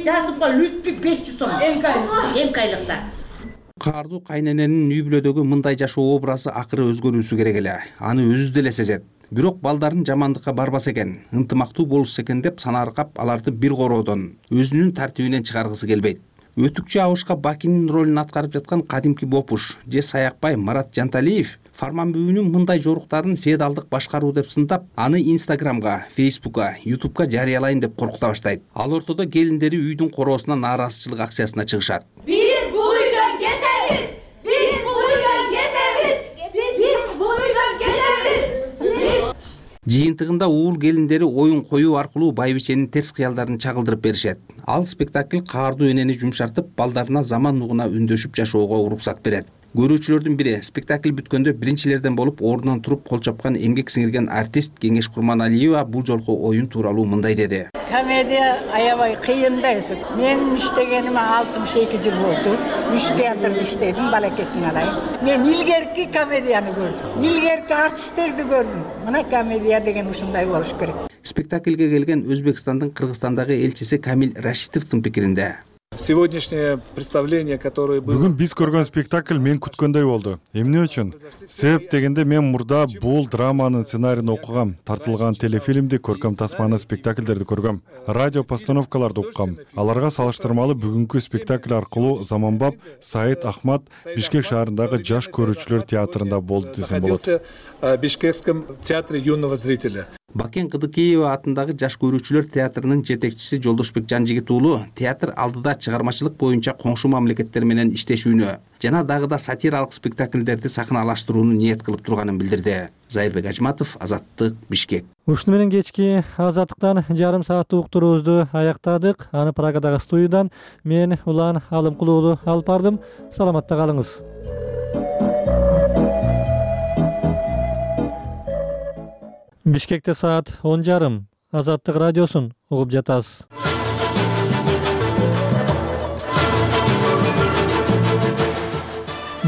Жазып кой, лүтпү беш жүз сом. Эмкайлыкта. Каардуу кайнененин үй бүлөдөгү мындай жашоо образы акыры өзгөрүүсү керек эле. Аны өзү деле сезет. Бирок балдарын жамандыкка барбаса экен, ынтымактуу болушса экен деп санааркап, аларды бир короодон, өзүнүн тартибинен чыгаргысы келбейт. Өтүкчү Абышка Бакинин ролун аткарып жаткан кадимки Бопуш же Саякбай Марат Жанталиев Фарман Бүбүнүн мындай жоруктарын феодалдык башкаруу деп сындап, аны Инстаграмга, Фейсбукка, Ютубка жарыялайм деп коркута баштайт. Ал ортодо келиндери үйдүн короосуна нааразычылык акциясына чыгышат. Биз бул үйдөн кетебиз. Биз бул үйдөн кетебиз. Биз бул үйдөн кетебиз. Жыйынтыгында уул келиндери оюн коюу аркылуу байбиченин терс кыялдарын чагылдырып беришет. Ал спектакль каардуу энени жумшартып, балдарына заман нугуна үндөшүп жашоого уруксат берет. Көрүүчүлөрдүн бири спектакль бүткөндө биринчилерден болуп ордунан туруп кол чапкан эмгек сиңирген артист Кеңеш Курманалиева бул жолку оюн тууралуу мындай деди. Комедия аябай кыйын да өзү. Мен иштегениме алтымыш эки жыл болду. Үч театрда иштедим, балакеттин алайын. Мен илгерки комедияны көрдүм. Илгерки артисттерди көрдүм. Мына комедия деген ушундай болуш керек. спектакльге келген Өзбекстандын Кыргызстандагы элчиси Камил Рашитовдун пикиринде сегодняшнее представление, которое было... Бүгүн биз көргөн спектакль мен күткөндөй болду. Эмне үчүн? Себеп дегенде мен мурда бул драманын сценарийин окугам, тартылган телефильмди, көркөм тасманы, спектакльдерди көргөм, радио постановкаларды уккам. Аларга салыштырмалуу бүгүнкү спектакль аркылуу заманбап Саид Ахмат Бишкек шаарындагы жаш көрүүчүлөр театрында болду десем болот. В Бишкекском театре юного зрителя. Бакен Кыдыкеева атындагы жаш көрүүчүлөр театрынын жетекчиси Жолдошбек Жанжигит уулу театр алдыда чыгармачылык боюнча коңшу мамлекеттер менен иштешүүнү жана дагы да сатиралык спектакльдерди сахналаштырууну ниет кылып турганын билдирди. Зайырбек Ажматов, Азаттык, Бишкек. Ушуну менен кечки Азаттыктан жарым сааттык уктуруубузду аяктадык. Аны Прагадагы студиядан мен Улан Алымкул уулу алып бардым. Саламатта калыңыз. Бишкекте саат он жарым. Азаттык радиосун угуп жатасыз.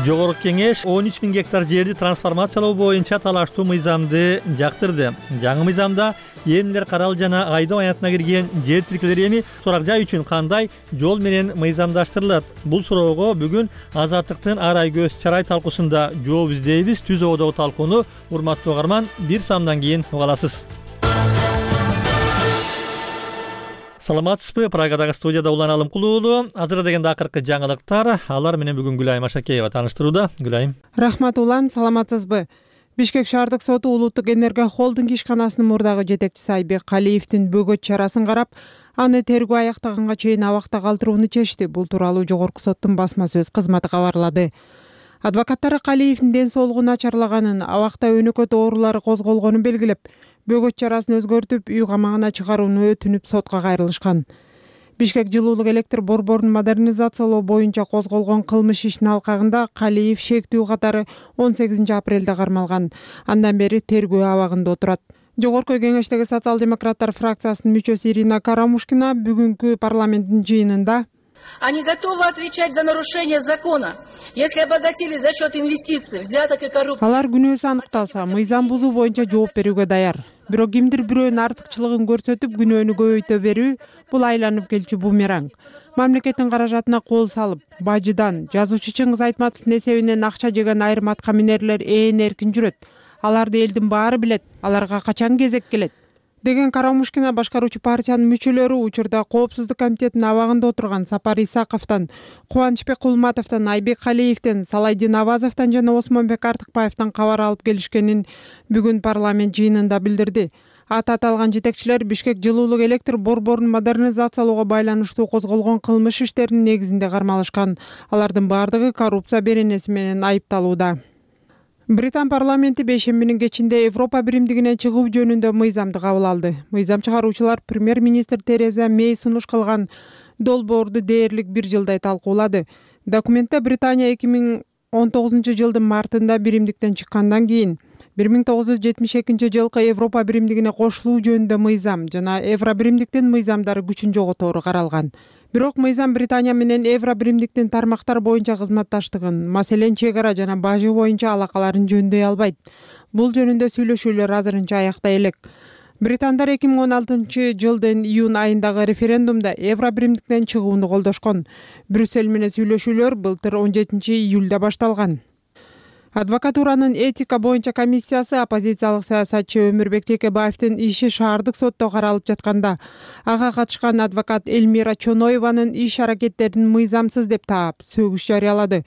Жогорку кеңеш он үч миң гектар жерди трансформациялоо боюнча талаштуу мыйзамды жактырды. Жаңы мыйзамда эмнелер каралды жана айдоо аянтына кирген жер тилкелери эми турак жай үчүн кандай жол менен мыйзамдаштырылат? Бул суроого бүгүн Азаттыктын ар ай көз чарай талкуусунда жооп издейбиз. Түз ободогу талкууну урматтуу угарман бир самдан кийин уга аласыз. Саламатсызбы? Прагадагы студияда Улан Алымкул уулу. Азыр дегенде акыркы жаңылыктар. Алар менен бүгүн Гүлайым Ашакеева тааныштырууда. Гүлайым. Рахмат Улан, саламатсызбы? Бишкек шаардык соту Улуттук энерго холдинг ишканасынын мурдагы жетекчиси Айбек Калиевдин бөгөт чарасын карап, аны тергөө аяктаганга чейин абакта калтырууну чечти. Бул тууралуу Жогорку соттун басма сөз кызматы кабарлады. Адвокаттары Калиевдин ден соолугу начарлаганын, абакта өнөкөт оорулары козголгонун белгилеп, бөгөт чарасын өзгөртүп, үй камагына чыгарууну өтүнүп сотко кайрылышкан. Бишкек жылуулук электр борборун модернизациялоо боюнча козголгон кылмыш ишинин алкагында Калиев шектүү катары он сегизинчи апрелде кармалган. Андан бери тергөө абагында отурат. Жогорку кеңештеги социал-демократтар фракциясынын мүчөсү Ирина Карамушкина бүгүнкү парламенттин жыйынында Они готовы отвечать за нарушение закона, если обогатились за счет инвестиций, взяток и коррупции. Алар күнөөсү аныкталса, мыйзам бузуу боюнча жооп берүүгө даяр. Бирок кимдир бирөөнүн артыкчылыгын көрсөтүп, күнөөнү көбөйтө берүү бул айланып келчү бумеранг. Мамлекеттин каражатына кол салып, бажыдан жазуучу Чыңгыз Айтматовдун эсебинен акча жеген айрым аткаминерлер ээн эркин жүрөт. Аларды элдин баары билет. Аларга качан кезек келет? деген Карамушкина башкаруучу партиянын мүчөлөрү учурда Коопсуздук комитетинин абагында отурган Сапар Исаковдон, Кубанычбек Кулматовдон, Айбек Калиевден, Салайдин Абазовдон жана Осмонбек Артыкбаевден кабар алып келишкенин бүгүн парламент жыйынында билдирди. Аты аталган жетекчилер Бишкек жылуулук электр борборун модернизациялоого байланыштуу козголгон кылмыш иштеринин негизинде кармалышкан. Алардын баардыгы коррупция беренеси менен айыпталууда. Британ парламенти бейшембинин кечинде Европа биримдигинен чыгуу жөнүндө мыйзамды кабыл алды. Мыйзам чыгаруучулар премьер-министр Тереза Мей сунуш кылган долбоорду дээрлик бир жылдай талкуулады. Документте Британия эки миң он тогузунчу жылдын мартында биримдиктен чыккандан кийин бир миң тогуз жүз жетимиш экинчи жылкы Европа биримдигине кошулуу жөнүндө мыйзам жана Евро биримдиктин мыйзамдары күчүн жоготору каралган. Бирок мыйзам Британия менен Евро биримдиктин тармактар боюнча кызматташтыгын, маселен чек ара жана бажы боюнча алакаларын жөндөй албайт. Бул жөнүндө сүйлөшүүлөр азырынча аякта элек. Британдар эки миң он алтынчы жылдын июнь айындагы референдумда Евро биримдиктен чыгууну колдошкон. Брюссель менен сүйлөшүүлөр былтыр он жетинчи июлда башталган. Адвокатуранын этика боюнча комиссиясы оппозициялык саясатчы Өмүрбек Текебаевдин иши шаардык сотто каралып жатканда, ага катышкан адвокат Элмира Чоноеванын иш аракеттерин мыйзамсыз деп таап, сөгүш жарыялады.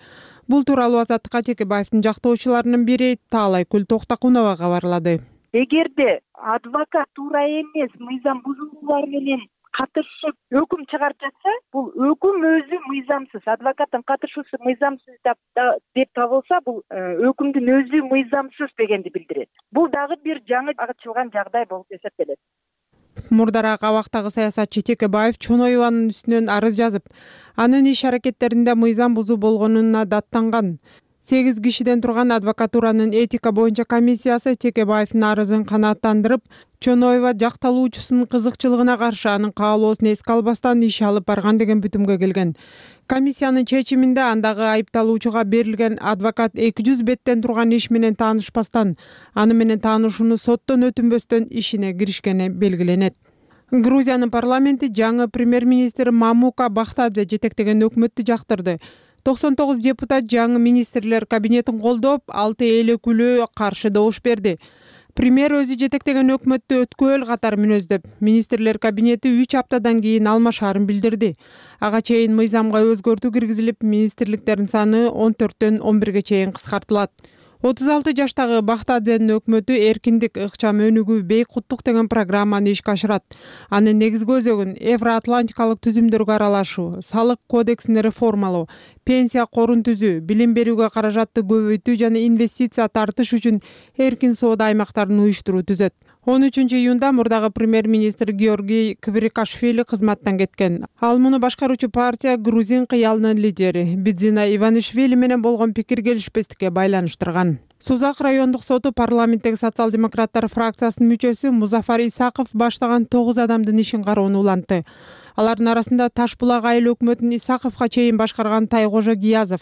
Бул тууралуу Азаттыкка Текебаевдин жактоочуларынын бири Таалайкүл Токтакунова кабарлады. Эгерде адвокат туура эмес мыйзам бузуулар менен катышып өкүм чыгарып жатса, бул өкүм өзү мыйзамсыз, адвокаттын катышуусу мыйзамсыз деп табылса, бул өкүмдүн өзү мыйзамсыз дегенди билдирет. Бул дагы бир жаңы ачылган жагдай болуп эсептелет. Мурдараак абактагы саясатчы Текебаев Чоноеванын үстүнөн арыз жазып, анын иш аракеттеринде мыйзам бузуу болгонуна даттанган. сегиз кишиден турган адвокатуранын этика боюнча комиссиясы Текебаевдин арызын канааттандырып, Чоноева жакталуучусунун кызыкчылыгына каршы анын каалоосун эске албастан иш алып барган деген бүтүмгө келген. Комиссиянын чечиминде андагы айыпталуучуга берилген адвокат эки жүз беттен турган иш менен таанышпастан, аны менен таанышууну соттон өтүнбөстөн ишине киришкени белгиленет. Грузиянын парламенти жаңы премьер-министр Мамука Бахтадзе жетектеген өкмөттү жактырды. токсон тогуз депутат жаңы министрлер кабинетин колдоп, алты эл өкүлү каршы добуш берди. Премьер өзү жетектеген өкмөттү өткөөл катары мүнөздөп, министрлер кабинети үч аптадан кийин алмашаарын билдирди. Ага чейин мыйзамга өзгөртүү киргизилип, министрликтердин саны он төрттөн он бирге чейин кыскартылат. отуз алты жаштагы Бахтадзенин өкмөтү эркиндик, ыкчам өнүгүү, бейкуттук деген программаны ишке ашырат. Анын негизги өзөгүн Евроатлантикалык түзүмдөргө аралашуу, салык кодексин реформалоо, пенсия корун түзүү, билим берүүгө каражатты көбөйтүү жана инвестиция тартыш үчүн эркин соода аймактарын уюштуруу түзөт. он үчүнчү июнда мурдагы премьер-министр Георгий Квирикашвили кызматтан кеткен. Ал муну башкаруучу партия Грузин кыялынын лидери Бидзина Иванишвили менен болгон пикир келишпестикке байланыштырган. Сузак райондук соту парламенттеги социал-демократтар фракциясынын мүчөсү Музафар Исаков баштаган тогуз адамдын ишин кароону улантты. Алардын арасында Таш булак айыл өкмөтүн Исаковго чейин башкарган Тайкожо Гиязов,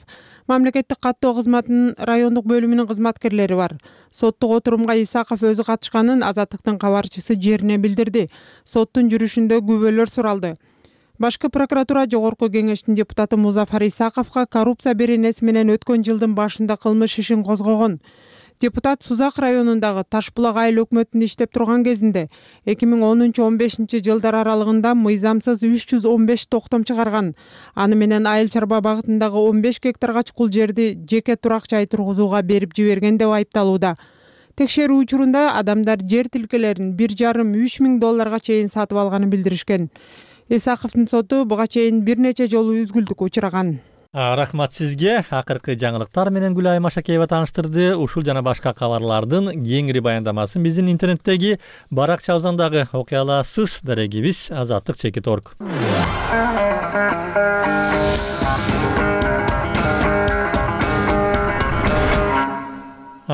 мамлекеттик каттоо кызматынын райондук бөлүмүнүн кызматкерлери бар. Соттук отурумга Исаков өзү катышканын Азаттыктын кабарчысы жерине билдирди. Соттун жүрүшүндө күбөлөр суралды. Башкы прокуратура жогорку кеңештин депутаты Музафар Исаковго коррупция беренеси менен өткөн жылдын башында кылмыш ишин козгогон. Депутат Сузак районундагы Таш булак айыл өкмөтүндө иштеп турган кезинде эки миң онунчу он бешинчи жылдар аралыгында мыйзамсыз үч жүз он беш токтом чыгарган. Аны менен айыл чарба багытындагы он беш гектарга чукул жерди жеке турак жай тургузууга берип жиберген деп айыпталууда. Текшерүү учурунда адамдар жер тилкелерин бир жарым үч миң долларга чейин сатып алганын билдиришкен. Исаковдун соту буга чейин бир нече жолу үзгүлтүккө учураган. Рахмат сизге. Акыркы жаңылыктар менен Гүлай Машакеева тааныштырды. Ушул жана башка кабарлардын кеңири баяндамасын биздин интернеттеги баракча абзандагы окуй аласыз. Дарегибиз азаттык чекит точка орг.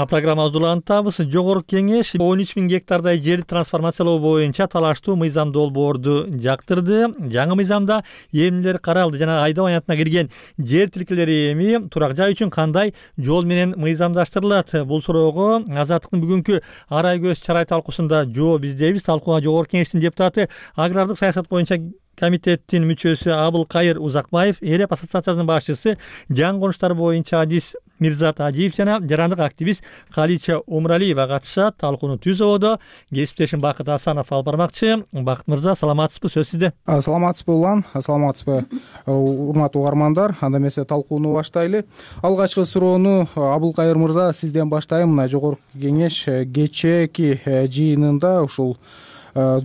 Программабызды улантабыз. Жогорку кеңеш он үч миң гектардай жерди трансформациялоо боюнча талаштуу мыйзам долбоорду жактырды. Жаңы мыйзамда эмнелер каралды жана айдоо аянтына кирген жер тилкелери эми турак жай үчүн кандай жол менен мыйзамдаштырылат? Бул суроого Азаттыктын бүгүнкү арай көз чарай талкуусунда жооп издейбиз. Талкууга жогорку кеңештин депутаты, агрардык саясат боюнча комитеттин мүчөсү Абылкайыр Узакбаев, Эреп ассоциациясынын башчысы, жаңы конуштар боюнча адис Мирзат Ажиев жана жарандык активист Калича Умралиева катышат. Талкууну түз ободо кесиптешим Бакыт Асанов алып бармакчы. Бакыт мырза, саламатсызбы? Сөз сизде. Саламатсызбы Улан, саламатсызбы урматтуу угармандар. Анда эмесе талкууну баштайлы. Алгачкы суроону Абылкайыр мырза сизден баштайм. Мына жогорку кеңеш кечээки жыйынында ушул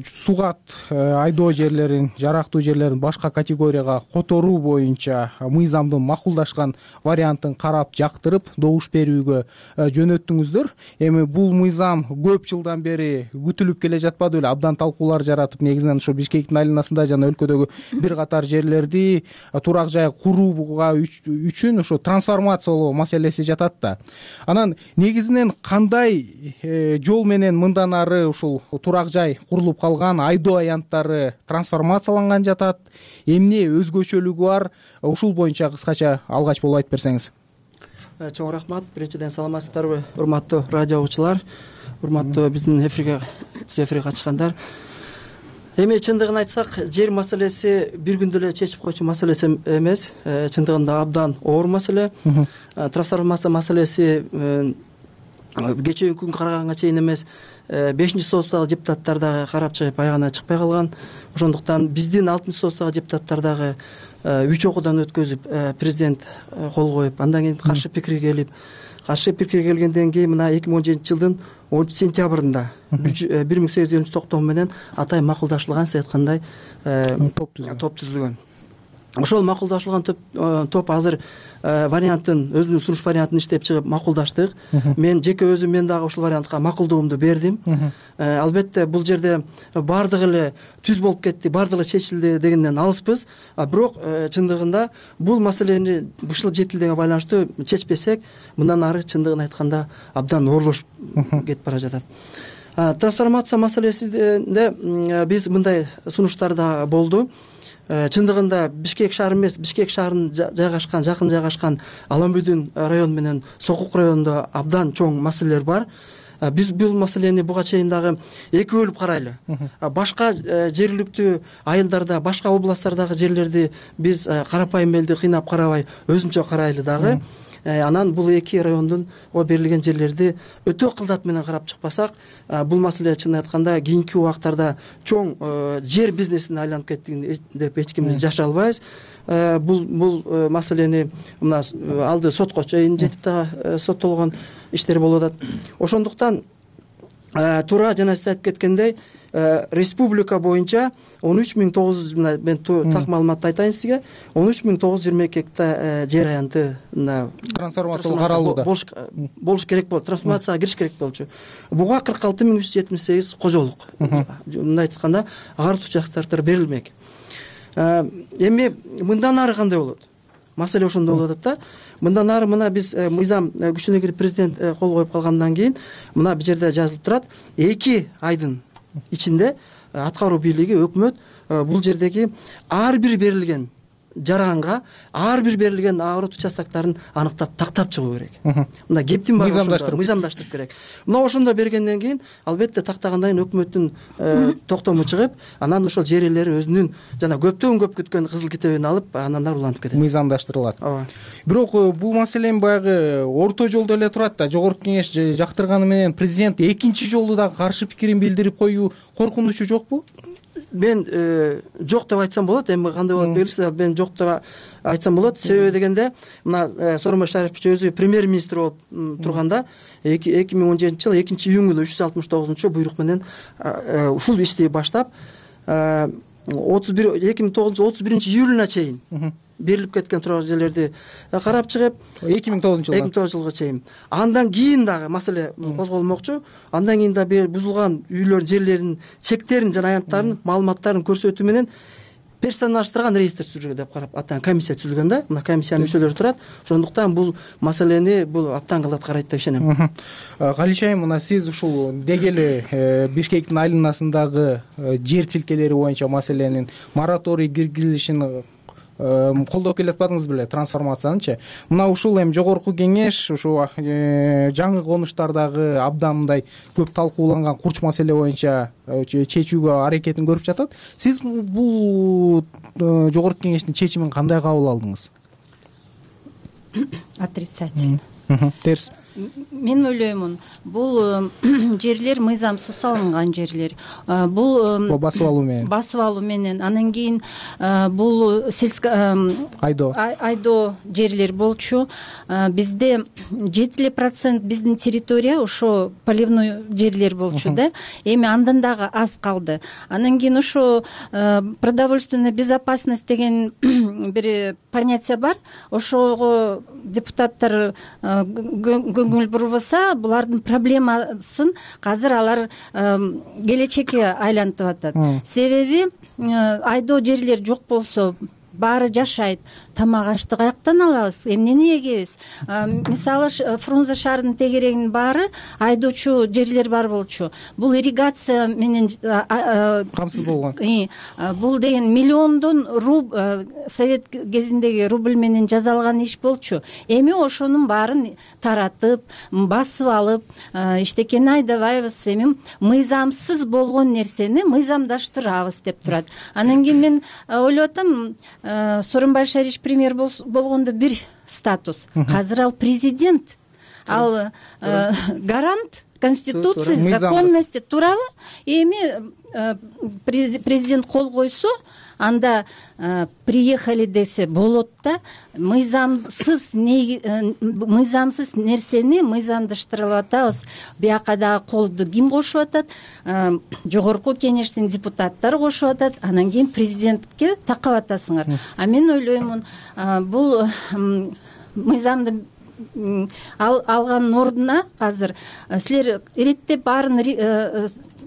сугат айдоо жерлерин, жарактуу жерлерин башка категорияга которуу боюнча мыйзамдын макулдашкан вариантын карап жактырып добуш берүүгө жөнөттүңүздөр. Эми бул мыйзам көп жылдан бери күтүлүп келе жатпады беле? Абдан талкуулар жаратып, негизинен ошо Бишкектин айланасында жана өлкөдөгү бир катар жерлерди турак жай курууга үчүн ошо трансформациялоо маселеси жатат да. Анан негизинен кандай жол менен мындан ары ушул турак жай курулуп калган айдоо аянттары трансформацияланган жатат, эмне өзгөчөлүгү бар? Ушул боюнча кыскача алгач болуп айтып берсеңиз. Чоң рахмат. Биринчиден саламатсыздарбы, урматтуу радио угуучулар, урматтуу биздин эфирге түз эфирге катышкандар. Эми чындыгын айтсак, жер маселеси бир күндө эле чечип койчу маселеси эмес, чындыгында абдан оор маселе. Трансформация маселеси кечээ күн караганга чейин эмес, бешинчи союздагы депутаттар дагы карап чыгып аягына чыкпай калган. Ошондуктан биздин алтынчы союздагы депутаттар дагы үч окуудан өткөзүп, президент кол коюп, андан кийин каршы пикир келип, каршы пикир келгенден кийин мына эки миң он жетинчи жылдын онунчу сентябрында бир миң сегиз жүз элүүнчү токтом менен атай макулдашылган, сиз айткандай топ түзүлгөн. Ошол макулдашылган топ азыр вариантын, өзүнүн сунуш вариантын иштеп чыгып макулдаштык. Мен жеке өзүм мен дагы ушул вариантка макулдугумду бердим. Албетте бул жерде бардыгы эле түз болуп кетти, бардыгы эле чечилди дегенден алыспыз. Бирок чындыгында бул маселени бышылып жетилдиге байланыштуу чечпесек, мындан ары чындыгын айтканда абдан оорлошуп кетип бара жатат. Трансформация маселесинде биз мындай сунуштар да болду. Чындыгында Бишкек шаары эмес, Бишкек шаарынын жайгашкан, жакын жайгашкан Аламбүдүн району менен Сокулук районунда абдан чоң маселелер бар. Биз бул маселени буга чейин дагы эки бөлүп карайлы. Башка жергиликтүү айылдарда, башка областтардагы жерлерди биз карапайым элди кыйнап карабай, өзүнчө карайлы дагы. Анан бул эки райондун берилген жерлерди өтө кылдат менен карап чыкпасак, бул маселе чын айтканда кийинки убактарда чоң жер бизнесине айланып кеттигин деп эч кимибиз жаша албайбыз. Бул бул маселени мына алды сотко чейин жетип да соттолгон иштер болуп атат. Ошондуктан туура жана сиз айтып кеткендей, республика боюнча он үч миң тогуз жүз, мен так маалыматты айтайын сизге, он үч миң тогуз жүз жыйырма эки гектар жер аянты трансформация каралууда болуш керек болот, трансформацияга кириш керек болчу. Буга кырк алты миң үч жүз жетимиш сегиз кожолук, мындай айтканда агартуучу участоктор берилмек. Эми мындан ары кандай болот? Маселе ошондо болуп атат да. Мындан ары мына биз мыйзам күчүнө кирип президент кол коюп калгандан кийин мына бул жерде жазылып турат, эки айдын ичинде аткаруу бийлиги, өкмөт бул жердеги ар бир берилген жаранга, ар бир берилген агрот участоктарын аныктап тактап чыгуу керек. Мына кептин баары мыйзамдаштырып мыйзамдаштырып керек. Мына ошондо бергенден кийин албетте тактагандан кийин өкмөттүн токтому чыгып, анан ошол жер ээлери өзүнүн жана көптөн көп күткөн кызыл китебин алып, анан улантып кетет. Мыйзамдаштырылат. Бирок бул маселе баягы орто жолдо эле турат да. Жогорку кеңеш жактырганы менен президент экинчи жолу да каршы пикирин билдирип коюу коркунучу жокпу? Мен жок деп айтсам болот, эми кандай болот белгисиз, мен жок деп айтсам болот. Себеби дегенде, мына Сооронбай Шарипович өзү премьер-министр болуп турганда эки миң он жетинчи жылы экинчи июнь күнү үч жүз алтымыш тогузунчу буйрук менен ушул ишти баштап отуз бир эки миң тогузунчу отуз биринчи июлуна чейин берилип кеткен турган жерлерди карап чыгып, эки миң тогузунчу жылга эки миң тогузунчу жылга чейин. Андан кийин дагы маселе козголмокчу. Андан кийин да бузулган үйлөр жерлеринин чектерин жана аянттарын, маалыматтарын көрсөтүү менен персоналдаштырган реестр түзүлгөн деп карап, атан комиссия түзүлгөн да. Мына комиссиянын мүчөлөрү турат. Ошондуктан бул маселени бул аптан кылат карайт деп ишенем. Галичай, мына сиз ушул деги эле Бишкектин айланасындагы жер тилкелери боюнча маселенин мораторий киргизилишин колдоп келатпадыңыз беле, трансформациянычы? Мына ушул эми жогорку кеңеш ушу жаңы конуштардагы абдан мындай көп талкууланган курч маселе боюнча чечүүгө аракетин көрүп жатат. Сиз бул жогорку кеңештин чечимин кандай кабыл алдыңыз? Отрицательно. Терс. Мен ойлоймун, бул жерлер мыйзамсыз салынган жерлер. Бул басып алуу менен. Басып алуу менен. Анан кийин бул сельско айдоо айдоо жерлер болчу. Бизде жети процент биздин территория ошо поливной жерлер болчу да. Эми андан дагы аз калды. Анан кийин ошо продовольственная безопасность деген бир понятие бар. Ошого депутаттар көңүл бурбаса, булардын проблемасын азыр алар келечекке айлантып атат. Себеби айдоо жерлер жок болсо баары жашайт. Тамак ашты каяктан алабыз? Эмнени эгебиз? Мисалы, Фрунзе шаарынын тегерегинин баары айдоочу жерлер бар болчу. Бул ирригация менен камсыз болгон. Бул деген миллиондон руб совет кезиндеги рубль менен жасалган иш болчу. Эми ошонун баарын таратып, басып алып, иштекени айдабайбыз. Эми мыйзамсыз болгон нерсени мыйзамдаштырабыз деп турат. Анан кийин мен ойлоп атам, Сооронбай Шарипович премьер болгондо бир статус. Азыр ал президент, ал гарант конституции, законности, туурабы? Эми президент кол койсо, анда приехали десе болот да. Мыйзамсыз мыйзамсыз нерсени мыйзамдаштырып атабыз. Бияка дагы колду ким кошуп атат? Жогорку кеңештин депутаттары кошуп атат. Анан кийин президентке такап атасыңар. А мен ойлоймун, бул мыйзамды алганын ордуна азыр силер иреттеп баарын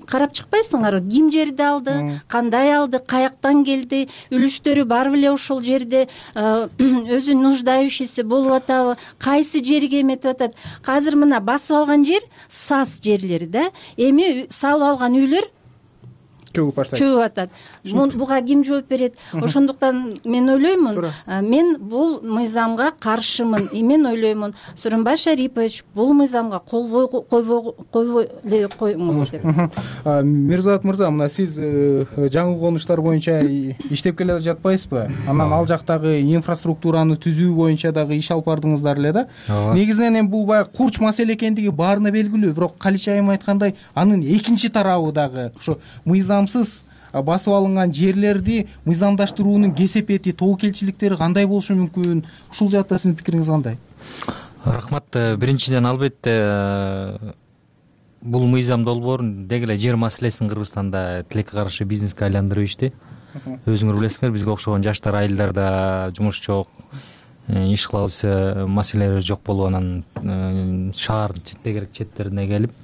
карап чыкпайсыңарбы, ким жерди алды, кандай алды, каяктан келди, үлүштөрү барбы эле ошол жерде өзү нуждающийся болуп атабы, кайсы жерге эметип атат. Азыр мына басып алган жер саз жерлери да, эми салып алган үйлөр чөгүп атат. Буга ким жооп берет? Ошондуктан мен ойлоймун, мен бул мыйзамга каршымын. Мен ойлоймун, Сооронбай Шарипович бул мыйзамга кол койбой эле коюңуз деп. Мирзат мырза, мына сиз жаңы конуштар боюнча иштеп келе жатпайсызбы? Анан ал жактагы инфраструктураны түзүү боюнча дагы иш алып бардыңыздар эле да. Негизинен эми бул баягы курч маселе экендиги баарына белгилүү, бирок Калич айым айткандай, анын экинчи тарабы дагы ошо мыйзам басып алынган жерлерди мыйзамдаштыруунун кесепети, тобокелчиликтери кандай болушу мүмкүн? Ушул жакта сиздин пикириңиз кандай? Рахмат. Биринчиден, албетте бул мыйзам долбоорун деги эле жер маселесин Кыргызстанда тилекке каршы бизнеске айландырып ишти. Өзүңөр билесиңер, бизге окшогон жаштар айылдарда жумуш жок, иш кылабыз маселелер жок болуп, анан шаар тегерек четтерине келип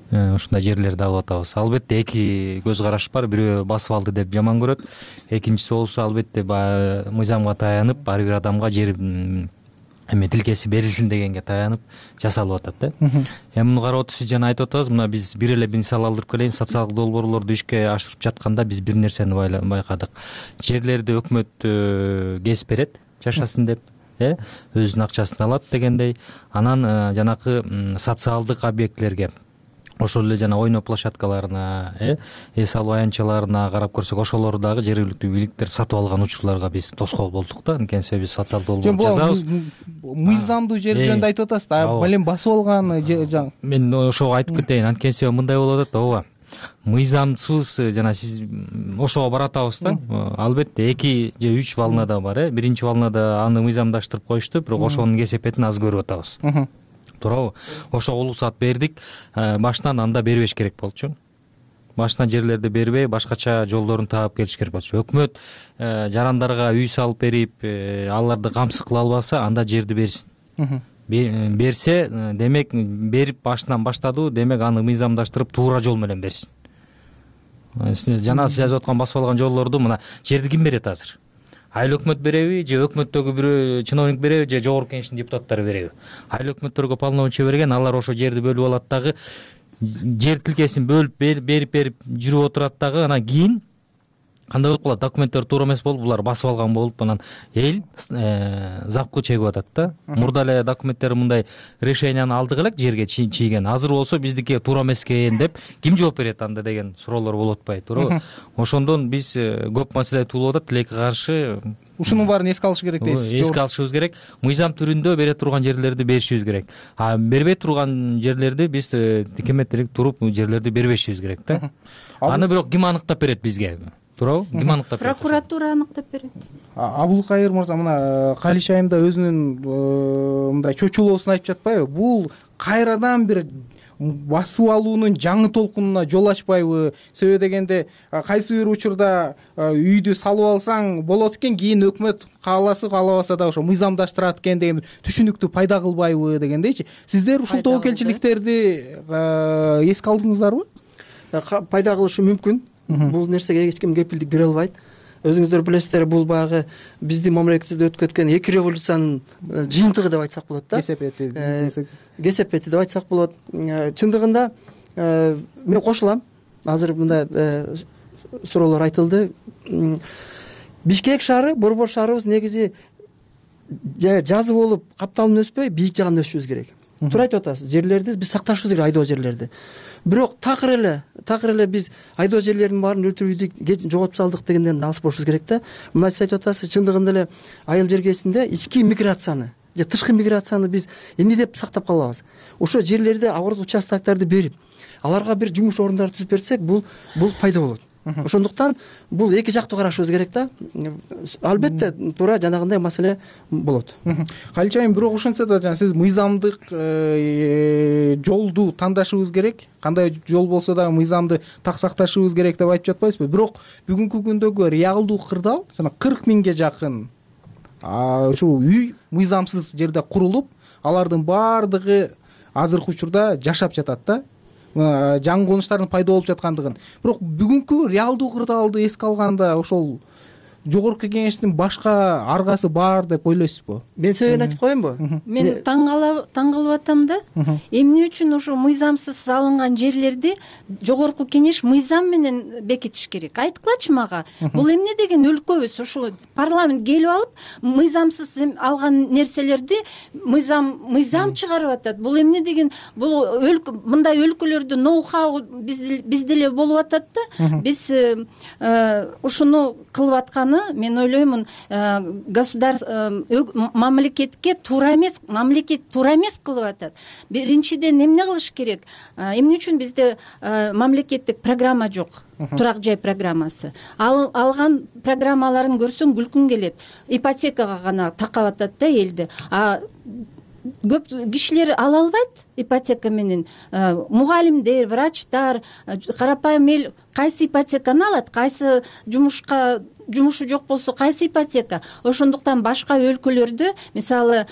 ушундай жерлерди алып атабыз. Албетте эки көз караш бар. Бирөө басып алды деп жаман көрөт. Экинчиси болсо, албетте баягы мыйзамга таянып, ар бир адамга жер эме тилкеси берилсин дегенге таянып жасалып атат да. Эми муну карап отуруп, сиз жана айтып атасыз, мына биз бир эле мисал алдырып келейин. Социалдык долбоорлорду ишке ашырып жатканда биз бир нерсени байкадык. Жерлерди өкмөт кесип берет, жашасын деп, э, өзүнүн акчасын алат дегендей. Анан жанакы социалдык объектилерге, ошол эле жана ойноо площадкаларына, э, эс алуу аянтчаларына карап көрсөк, ошолорду дагы жергиликтүү бийликтер сатып алган учурларга биз тоскоол болдук да. Анткени себеби биз социалдык долбоор жасабыз. Мыйзамдуу жер жөнүндө айтып атасыз да, балем басып алган. Мен ошого айтып кетейин. Анткени себеби мындай болуп атат да, ооба. Мыйзамсыз жана сиз ошого баратабыз да. Албетте эки же үч волнада бар, э. Биринчи волнада аны мыйзамдаштырып коюшту, бирок ошонун кесепетин аз көрүп атабыз. Туурабы? Ошого улуусат бердик. Башынан анда бербеш керек болчу. Башынан жерлерди бербей, башкача жолдорун таап келиш керек болчу. Өкмөт жарандарга үй салып берип, аларды камсыз кыла албаса, анда жерди берсин. Берсе, демек берип башынан баштады, демек аны мыйзамдаштырып туура жол менен берсин. Жана сиз жазып аткан басып алган жолдорду мына жерди ким берет азыр? Айыл өкмөт береби, же өкмөттөгү бирөө чиновник береби, же жогорку кеңештин депутаттары береби? Айыл өкмөттөргө полномочия берген, алар ошо жерди бөлүп алат дагы, жер тилкесин бөлүп берип берип жүрүп отурат дагы, анан кийин кандай болуп калат? Документтер туура эмес болуп, булар басып алган болуп, анан эл запкы чегип атат да. Мурда эле документтер мындай решенияны алдык элек жерге чийген. Азыр болсо биздики туура эмес экен деп ким жооп берет анда деген суроолор болуп атпайбы, туурабы? Ошондон биз көп маселе туулуп атат, тилекке каршы. Ушунун баарын эске алыш керек дейсиз. Эске алышыбыз керек. Мыйзам түрүндө бере турган жерлерди беришибиз керек. А бербей турган жерлерди биз тикеметтелик туруп жерлерди бербешибиз керек да. Аны бирок ким аныктап берет бизге? Туурабы? Ким аныктап берет? Прокуратура аныктап берет. Абулкайыр мырза, мына Калич айымда өзүнүн мындай чочулоосун айтып жатпайбы? Бул кайрадан бир басып алуунун жаңы толкунуна жол ачпайбы? Себеби дегенде кайсы бир учурда үйдү салып алсаң болот экен, кийин өкмөт кааласа каалабаса да ошо мыйзамдаштырат экен деген түшүнүктү пайда кылбайбы дегендейчи. Сиздер ушул тобокелчиликтерди эске алдыңыздарбы? Пайда кылышы мүмкүн. Бул нерсеге эч ким кепилдик бере албайт. Өзүңүздөр билесиздер, бул баягы биздин мамлекетибизде өтүп кеткен эки революциянын жыйынтыгы деп айтсак болот да. Кесепети. Кесепети деп айтсак болот. Чындыгында мен кошулам. Азыр мындай суроолор айтылды. Бишкек шаары, борбор шаарыбыз негизи жазы болуп капталын өспөй, бийик жагын өсүшүбүз керек. Туура айтып атасыз. Жерлерди биз сакташыбыз керек, айдоо жерлерди. Бирок такыр эле, такыр эле биз айдоо жерлердин баарын өлтүрдүк, жоготуп салдык дегенден алыс болушубуз керек да. Мына сиз айтып атасыз, чындыгында эле айыл жергесинде ички миграцияны же тышкы миграцияны биз эмне деп сактап калабыз? Ошо жерлерде агорт участоктарды берип, аларга бир жумуш орундары түзүп берсек, бул бул пайда болот. Ошондуктан бул эки жактуу карашыбыз керек да. Албетте туура жанагындай маселе болот. Калич айым, бирок ошентсе да жана сиз мыйзамдык жолду тандашыбыз керек. Кандай жол болсо да мыйзамды так сакташыбыз керек деп айтып жатпайсызбы? Бирок бүгүнкү күндөгү реалдуу кырдаал жана кырк миңге жакын ушул үй мыйзамсыз жерде курулуп, алардын баардыгы азыркы учурда жашап жатат да. жаңы конуштардын пайда болуп жаткандыгын. Бирок бүгүнкү реалдуу кырдаалды эске алганда ошол жогорку кеңештин башка аргасы бар деп ойлойсузбу? Мен себебин айтып коеюнбу? Мен таң калып атам да. Эмне үчүн ошо мыйзамсыз салынган жерлерди жогорку кеңеш мыйзам менен бекитиш керек? Айткылачы мага. Бул эмне деген өлкөбүз? Ошо парламент келип алып, мыйзамсыз алган нерселерди мыйзам мыйзам чыгарып атат. Бул эмне деген? Бул мындай өлкөлөрдө ноу-хау биз деле болуп атат да. Биз ушуну кылып атканы мен ойлоймун, государство мамлекетке туура эмес, мамлекет туура эмес кылып атат. Биринчиден эмне кылыш керек? Эмне үчүн бизде мамлекеттик программа жок? Турак жай программасы. Алган программаларын көрсөң күлкүң келет. Ипотекага гана такап атат да элди. А көп кишилер ала албайт ипотека менен. Мугалимдер, врачтар, карапайым эл кайсы ипотеканы алат, кайсы жумушка жумушу жок болсо кайсы ипотека? Ошондуктан башка өлкөлөрдө, мисалы,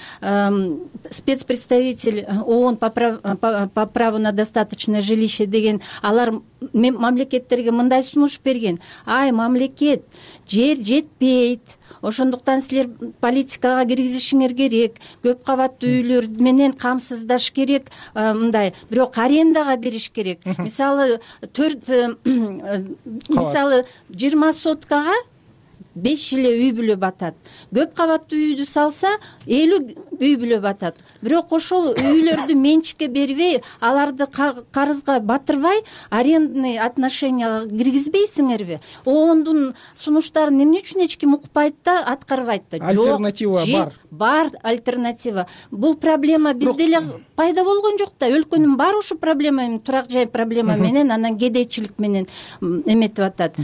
спецпредставитель ООН по праву на достаточное жилище деген, алар мамлекеттерге мындай сунуш берген. Ай, мамлекет, жер жетпейт. Ошондуктан силер политикага киргизишиңер керек, көп кабаттуу үйлөр менен камсыздаш керек, мындай, бирок арендага бериш керек. Мисалы, төрт мисалы жыйырма соткага беш эле үй бүлө батат. Көп кабаттуу үйдү салса, элүү үй бүлө батат. Бирок ошол үйлөрдү менчикке бербей, аларды карызга батырбай, арендный отношенияга киргизбейсиңерби? ООНдун сунуштарын эмне үчүн эч ким укпайт да, аткарбайт да? Альтернатива бар. Бар альтернатива. Бул проблема бизде эле пайда болгон жок да. Өлкөнүн баары ушу проблема, турак жай проблема менен, анан кедейчилик менен эметип атат.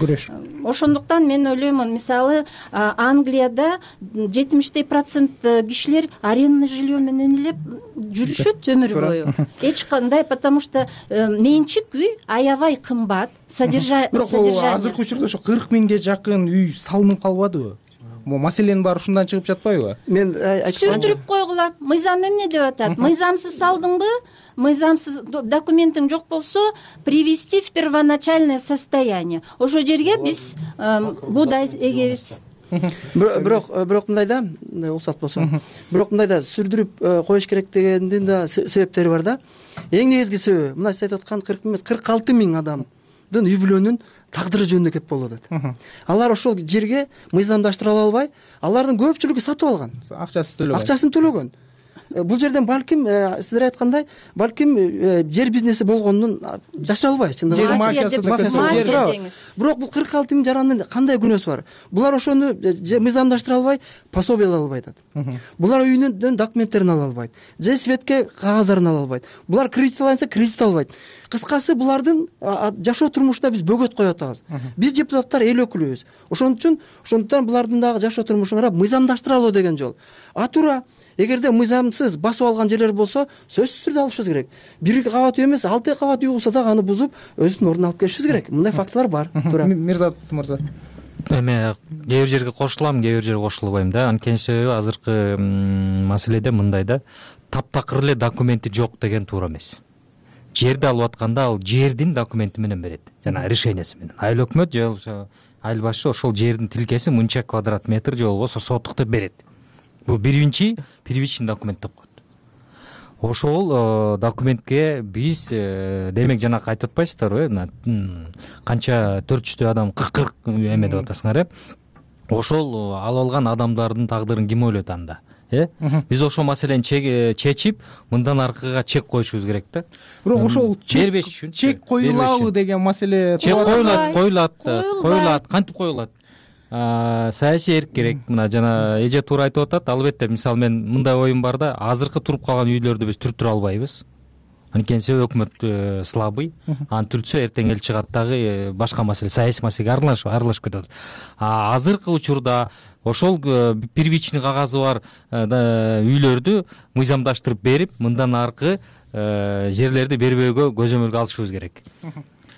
Ошондуктан мен ойлоймун, мисалы, Англияда жетимиштей процент кишилер арендный жилье менен эле жүрүшөт өмүр бою. Эч кандай, потому что менчик үй аябай кымбат, содержание. Бирок азыркы учурда ошо кырк миңге жакын үй салынып калбадыбы? Маселенин баары ушундан чыгып жатпайбы? Мен айткам, сүрдүрүп койгула. Мыйзам эмне деп атат? Мыйзамсыз салдыңбы? Мыйзамсыз документиң жок болсо, привести в первоначальное состояние. Ошо жерге биз буудай эгебиз. Бирок бирок мындай да, уруксат болсо. Бирок мындай да сүрдүрүп коюш керек дегендин да себептери бар да. Эң негизги себеби, мына сиз айтып аткан кырк эмес, кырк алты миң адамдын үй бүлөнүн тагдыры жөнүндө кеп болуп атат. Алар ошол жерге мыйзамдаштыра албай, алардын көпчүлүгү сатып алган. Акчасын төлөгөн. Акчасын төлөгөн. Бул жерден балким сиздер айткандай, балким жер бизнеси болгонун жашыра албайбыз, чындыгы. Жер мафиясы. Бирок бул кырк алты миң жарандын кандай күнөөсү бар? Булар ошону мыйзамдаштыра албай, пособие ала албайт. Булар үйүнүн документтерин ала албайт. Же светке кагаздарын ала албайт. Булар кредит алса, кредит албайт. Кыскасы, булардын жашоо турмушуна биз бөгөт коюп атабыз. Биз депутаттар эл өкүлүбүз. Ошон үчүн, ошондуктан булардын дагы жашоо турмушун карап мыйзамдаштыра алуу деген жол. А туура, эгерде мыйзамсыз басып алган жерлер болсо, сөзсүз түрдө алышыбыз керек. Бир кабат үй эмес, алты кабат үй болсо дагы аны бузуп, өзүнүн ордуна алып келишибиз керек. Мындай фактылар бар. Туура. Мирзат мырза. Эме кээ бир жерге кошулам, кээ бир жерге кошулбайм да. Анткени себеби азыркы маселеде мындай да, таптакыр эле документи жок деген туура эмес. Жерди алып атканда ал жердин документи менен берет, жана решениясы менен. Айыл өкмөт же болбосо айыл башы ошол жердин тилкеси мынча квадрат метр же болбосо сотукту берет. Бул биринчи первичный документ деп коет. Ошол документке биз демек жана айтып атпайсыздарбы, канча төрт жүздөй адам кырк эме деп атасыңар, э? Ошол алып алган адамдардын тагдырын ким ойлойт анда? Э? Биз ошол маселени чечип, мындан аркыга чек коюшубуз керек да. Бирок ошол чек коюлабы деген маселе. Чек коюлат, коюлат, коюлат, кантип коюлат? Саясий эрк керек. Мына жана эже туура айтып атат. Албетте, мисалы мен мындай оюм бар да, азыркы туруп калган үйлөрдү биз түртүрө албайбыз. Анткени себеби өкмөт слабый. Аны түртсө эртең эл чыгат дагы башка маселе, саясий маселеге аралашып, аралашып кетет. А азыркы учурда ошол первичный кагазы бар үйлөрдү мыйзамдаштырып берип, мындан аркы жерлерди бербөөгө көзөмөлгө алышыбыз керек.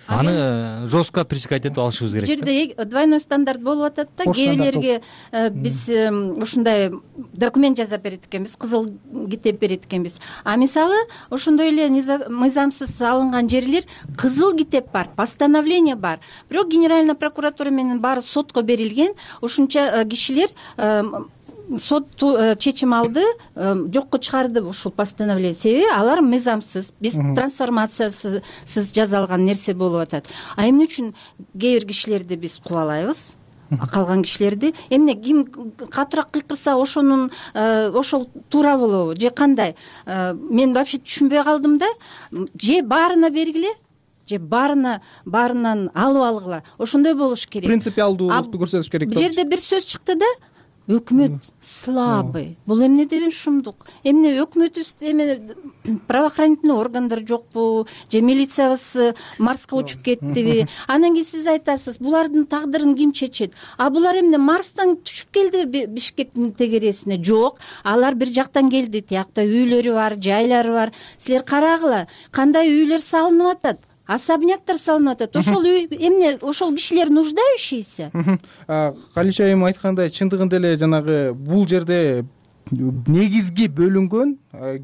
аны жестко пресекать этип алышыбыз керек. Жерде двойной стандарт болуп атат да. Кээбилерге биз ушундай документ жасап берет экенбиз, кызыл китеп берет экенбиз. А мисалы ошондой эле мыйзамсыз алынган жерлер кызыл китеп бар, постановление бар. Бирок Генеральная прокуратура менен баары сотко берилген. Ушунча кишилер сот чечим алды, жокко чыгарды ушул постановление. Себеби алар мыйзамсыз, биз трансформациясыз жасалган нерсе болуп атат. А эмне үчүн кээ бир кишилерди биз кубалайбыз? Калган кишилерди эмне ким катуураак кыйкырса ошонун ошол туура болобу же кандай? Мен вообще түшүнбөй калдым да. Же баарына бергиле, же баарына баарынан алып алгыла. Ошондой болуш керек. Принципиалдуулукту көрсөтүш керек. Бул жерде бир сөз чыкты да. Өкмөт слабый. Бул эмне деген шумдук? Эмне өкмөтүбүз эме правоохранительный органдар жокпу? Же милициябыз Марска учуп кеттиби? Анан кийин сиз айтасыз, булардын тагдырын ким чечет? А булар эмне Марстан түшүп келдиби Бишкектин тегересине? Жок, алар бир жактан келди. Тиякта үйлөрү бар, жайлары бар. Силер карагыла, кандай үйлөр салынып атат? Особняктар салынып атат. Ошол үй эмне, ошол кишилер нуждающийся? Калич айым айткандай, чындыгында эле жанагы бул жерде негизги бөлүнгөн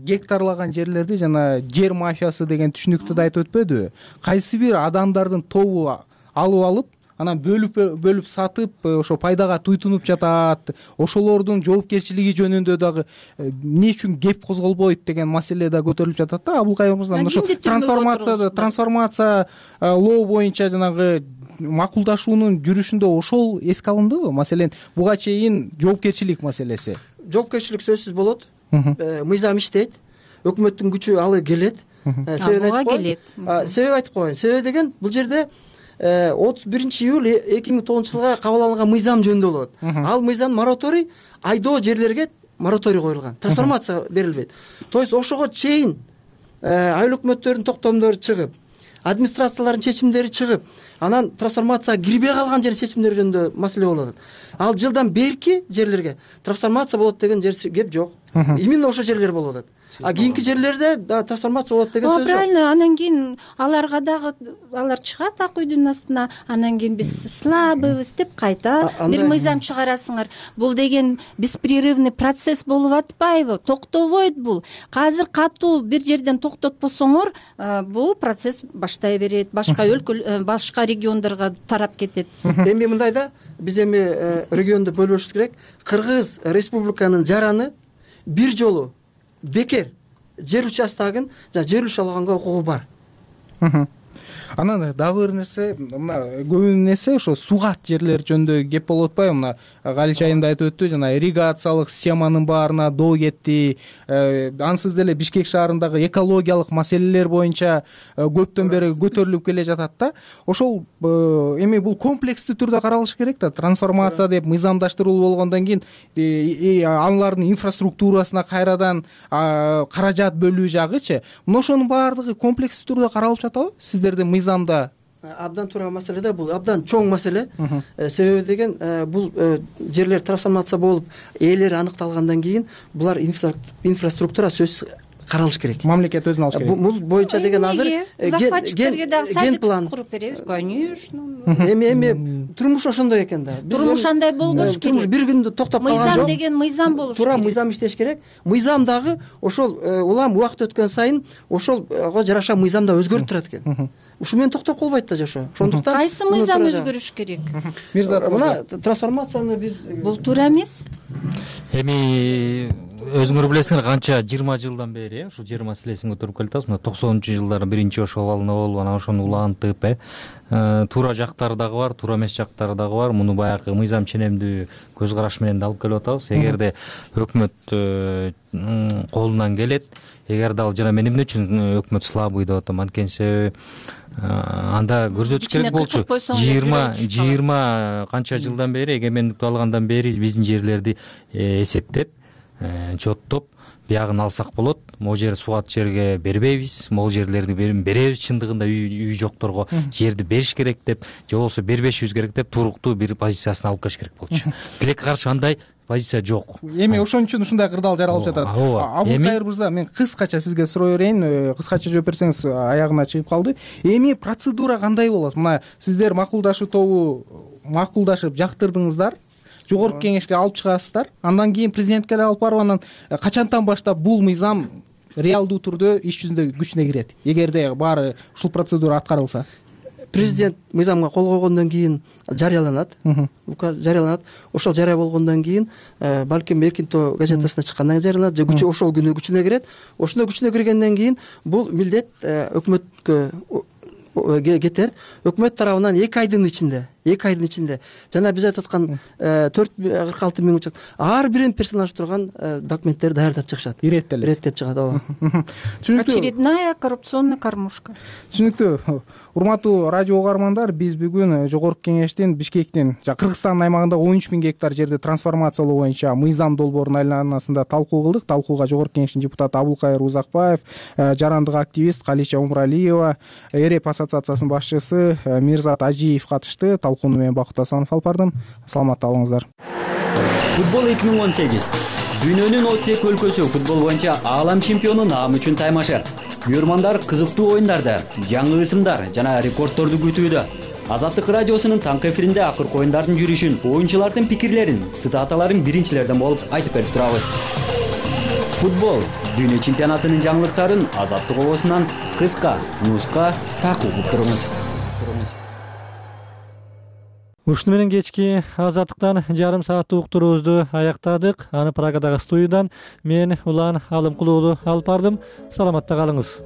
гектарлаган жерлерди жана жер мафиясы деген түшүнүктү да айтып өтпөдүбү? Кайсы бир адамдардын тобу алып алып, анан бөлүп бөлүп сатып, ошо пайдага туйтунуп жатат. Ошолордун жоопкерчилиги жөнүндө дагы эмне үчүн кеп козголбойт деген маселе да көтөрүлүп жатат да. Абылкайым мырза, ошо трансформация трансформация лоо боюнча жанагы макулдашуунун жүрүшүндө ошол эске алындыбы? Маселен, буга чейин жоопкерчилик маселеси. Жоопкерчилик сөзсүз болот. Мыйзам иштейт. Өкмөттүн күчү алы келет. Себеби айтып коеюн. Себеби айтып коеюн. Себеби деген бул жерде отуз биринчи июль эки миң тогузунчу жылга кабыл алынган мыйзам жөнүндө болот. Ал мыйзам мораторий, айдоо жерлерге мораторий коюлган. Трансформация берилбейт. То есть ошого чейин айыл өкмөттөрдүн токтомдору чыгып, администрациялардын чечимдери чыгып, анан трансформацияга кирбей калган жер чечимдери жөнүндө маселе болуп атат. Ал жылдан берки жерлерге трансформация болот деген жер кеп жок. Именно ошол жерлер болуп атат. А кийинки жерлерде трансформация болот деген сөз жок. Правильно, анан кийин аларга дагы алар чыгат ак үйдүн астына, анан кийин биз слабыйбыз деп кайта бир мыйзам чыгарасыңар. Бул деген беспрерывный процесс болуп атпайбы? Токтобойт бул. Азыр катуу бир жерден токтотпосоңор, бул процесс баштай берет, башка өлкө, башка региондорго тарап кетет. Эми мындай да, биз эми регионду бөлүшүбүз керек. Кыргыз Республиканын жараны бир жолу бекер жер участогун жана жер үлүш алганга укугу бар. Анан дагы бир нерсе, мына көбүнесе ошо сугат жерлер жөнүндө кеп болуп атпайбы? Мына Калич айым да айтып өттү, жана ирригациялык системанын баарына доо кетти. Ансыз деле Бишкек шаарындагы экологиялык маселелер боюнча көптөн бери көтөрүлүп келе жатат да. Ошол эми бул комплекстүү түрдө каралыш керек да. Трансформация деп мыйзамдаштыруу болгондон кийин алардын инфраструктурасына кайрадан каражат бөлүү жагычы. Мына ошонун баардыгы комплекстүү түрдө каралып жатабы сиздердин мыйзамда? Абдан туура маселе да, бул абдан чоң маселе. Себеби деген бул жерлер трансформация болуп, ээлери аныкталгандан кийин булар инфраструктура сөзсүз каралыш керек. Мамлекет өзүн алыш керек. Бул боюнча деген азыр захватчиктерге дагы садик куруп беребиз, конечно. Эми эми турмуш ошондой экен да. Турмуш андай болбош керек. Турмуш бир күндө токтоп калган жок. Мыйзам деген мыйзам болуш керек. Туура мыйзам иштеш керек. Мыйзам дагы ошол улам убакыт өткөн сайын ошолго жараша мыйзам да өзгөрүп турат экен. Ушу менен токтоп калбайт да жашоо. Ошондуктан кайсы мыйзам өзгөрүш керек? Мирза, мына трансформацияны биз бул туура эмес. Эми өзүңөр билесиңер, канча жыйырма жылдан бери ушул жер маселесин көтөрүп келатабыз. Мына токсонунчу жылдары биринчи ошол абалына болуп, анан ошону улантып, э туура жактары дагы бар, туура эмес жактары дагы бар. Муну баягы мыйзам ченемдүү көз караш менен да алып келип атабыз. Эгерде өкмөт колунан келет, эгерде ал жана мен эмне үчүн өкмөт слабый деп атам, анткени себеби анда көрсөтүш керек болчу. жыйырма жыйырма канча жылдан бери, эгемендикти алгандан бери биздин жерлерди эсептеп, чоттоп, биягын алсак болот. Могу жер сугат жерге бербейбиз, могу жерлерди беребиз, чындыгында үй жокторго жерди бериш керек деп, же болбосо бербешибиз керек деп туруктуу бир позициясын алып келиш керек болчу. Тилекке каршы андай позиция жок. Эми ошон үчүн ушундай кырдаал жаралып жатат. Абылкайыр мырза, мен кыскача сизге суроо берейин, кыскача жооп берсеңиз аягына чыгып калды. Эми процедура кандай болот? Мына сиздер макулдашуу тобу макулдашып жактырдыңыздар, жогорку кеңешке алып чыгасыздар, андан кийин президентке алып барып, анан качантан баштап бул мыйзам реалдуу түрдө иш жүзүндө күчүнө кирет, эгерде баары ушул процедура аткарылса? Президент мыйзамга кол койгондон кийин жарыяланат, жарыяланат. Ошол жарыя болгондон кийин балким эркин тоо газетасына чыккандан кийин жарыяланат, же күчү ошол күнү күчүнө кирет. Ошондо күчүнө киргенден кийин бул милдет өкмөткө кетет. Өкмөт тарабынан эки айдын ичинде, эки айдын ичинде жана биз айтып аткан төрт кырк алты миң учак ар бирин персоналдуу турган документтерди даярдап чыгышат. Иреттелет. Иреттеп чыгат, ооба. Очередная коррупционная кормушка. Түшүнүктүү. Урматтуу радио угармандар, биз бүгүн жогорку кеңештин Бишкектин Кыргызстандын аймагында он үч миң гектар жерди трансформациялоо боюнча мыйзам долбоорунун айланасында талкуу кылдык. Талкууга жогорку кеңештин депутаты Абылкайыр Узакбаев, жарандык активист Калиша Умралиева, ЭРЕП ассоциациясынын башчысы Мирзат Ажиев катышты. Талкууну мен Бакыт Асанов алып бардым. Саламатта болуңуздар. Футбол эки миң он сегиз. Дүйнөнүн отуз эки өлкөсү футбол боюнча аалам чемпиону наам үчүн таймашар. Күйөрмандар кызыктуу оюндарды, жаңы ысымдар жана рекордторду күтүүдө. Азаттык радиосунун таңкы эфиринде акыркы оюндардын жүрүшүн, оюнчулардын пикирлерин, цитаталарын биринчилерден болуп айтып берип турабыз. Футбол дүйнө чемпионатынын жаңылыктарын Азаттык обосунан кыска, нуска такып угуп туруңуз. Ушуну менен кечки Азаттыктан жарым сааттык уктуруубузду аяктадык. Аны Прагадагы студиядан мен Улан Алымкулуулу алып бардым. Саламатта калыңыз.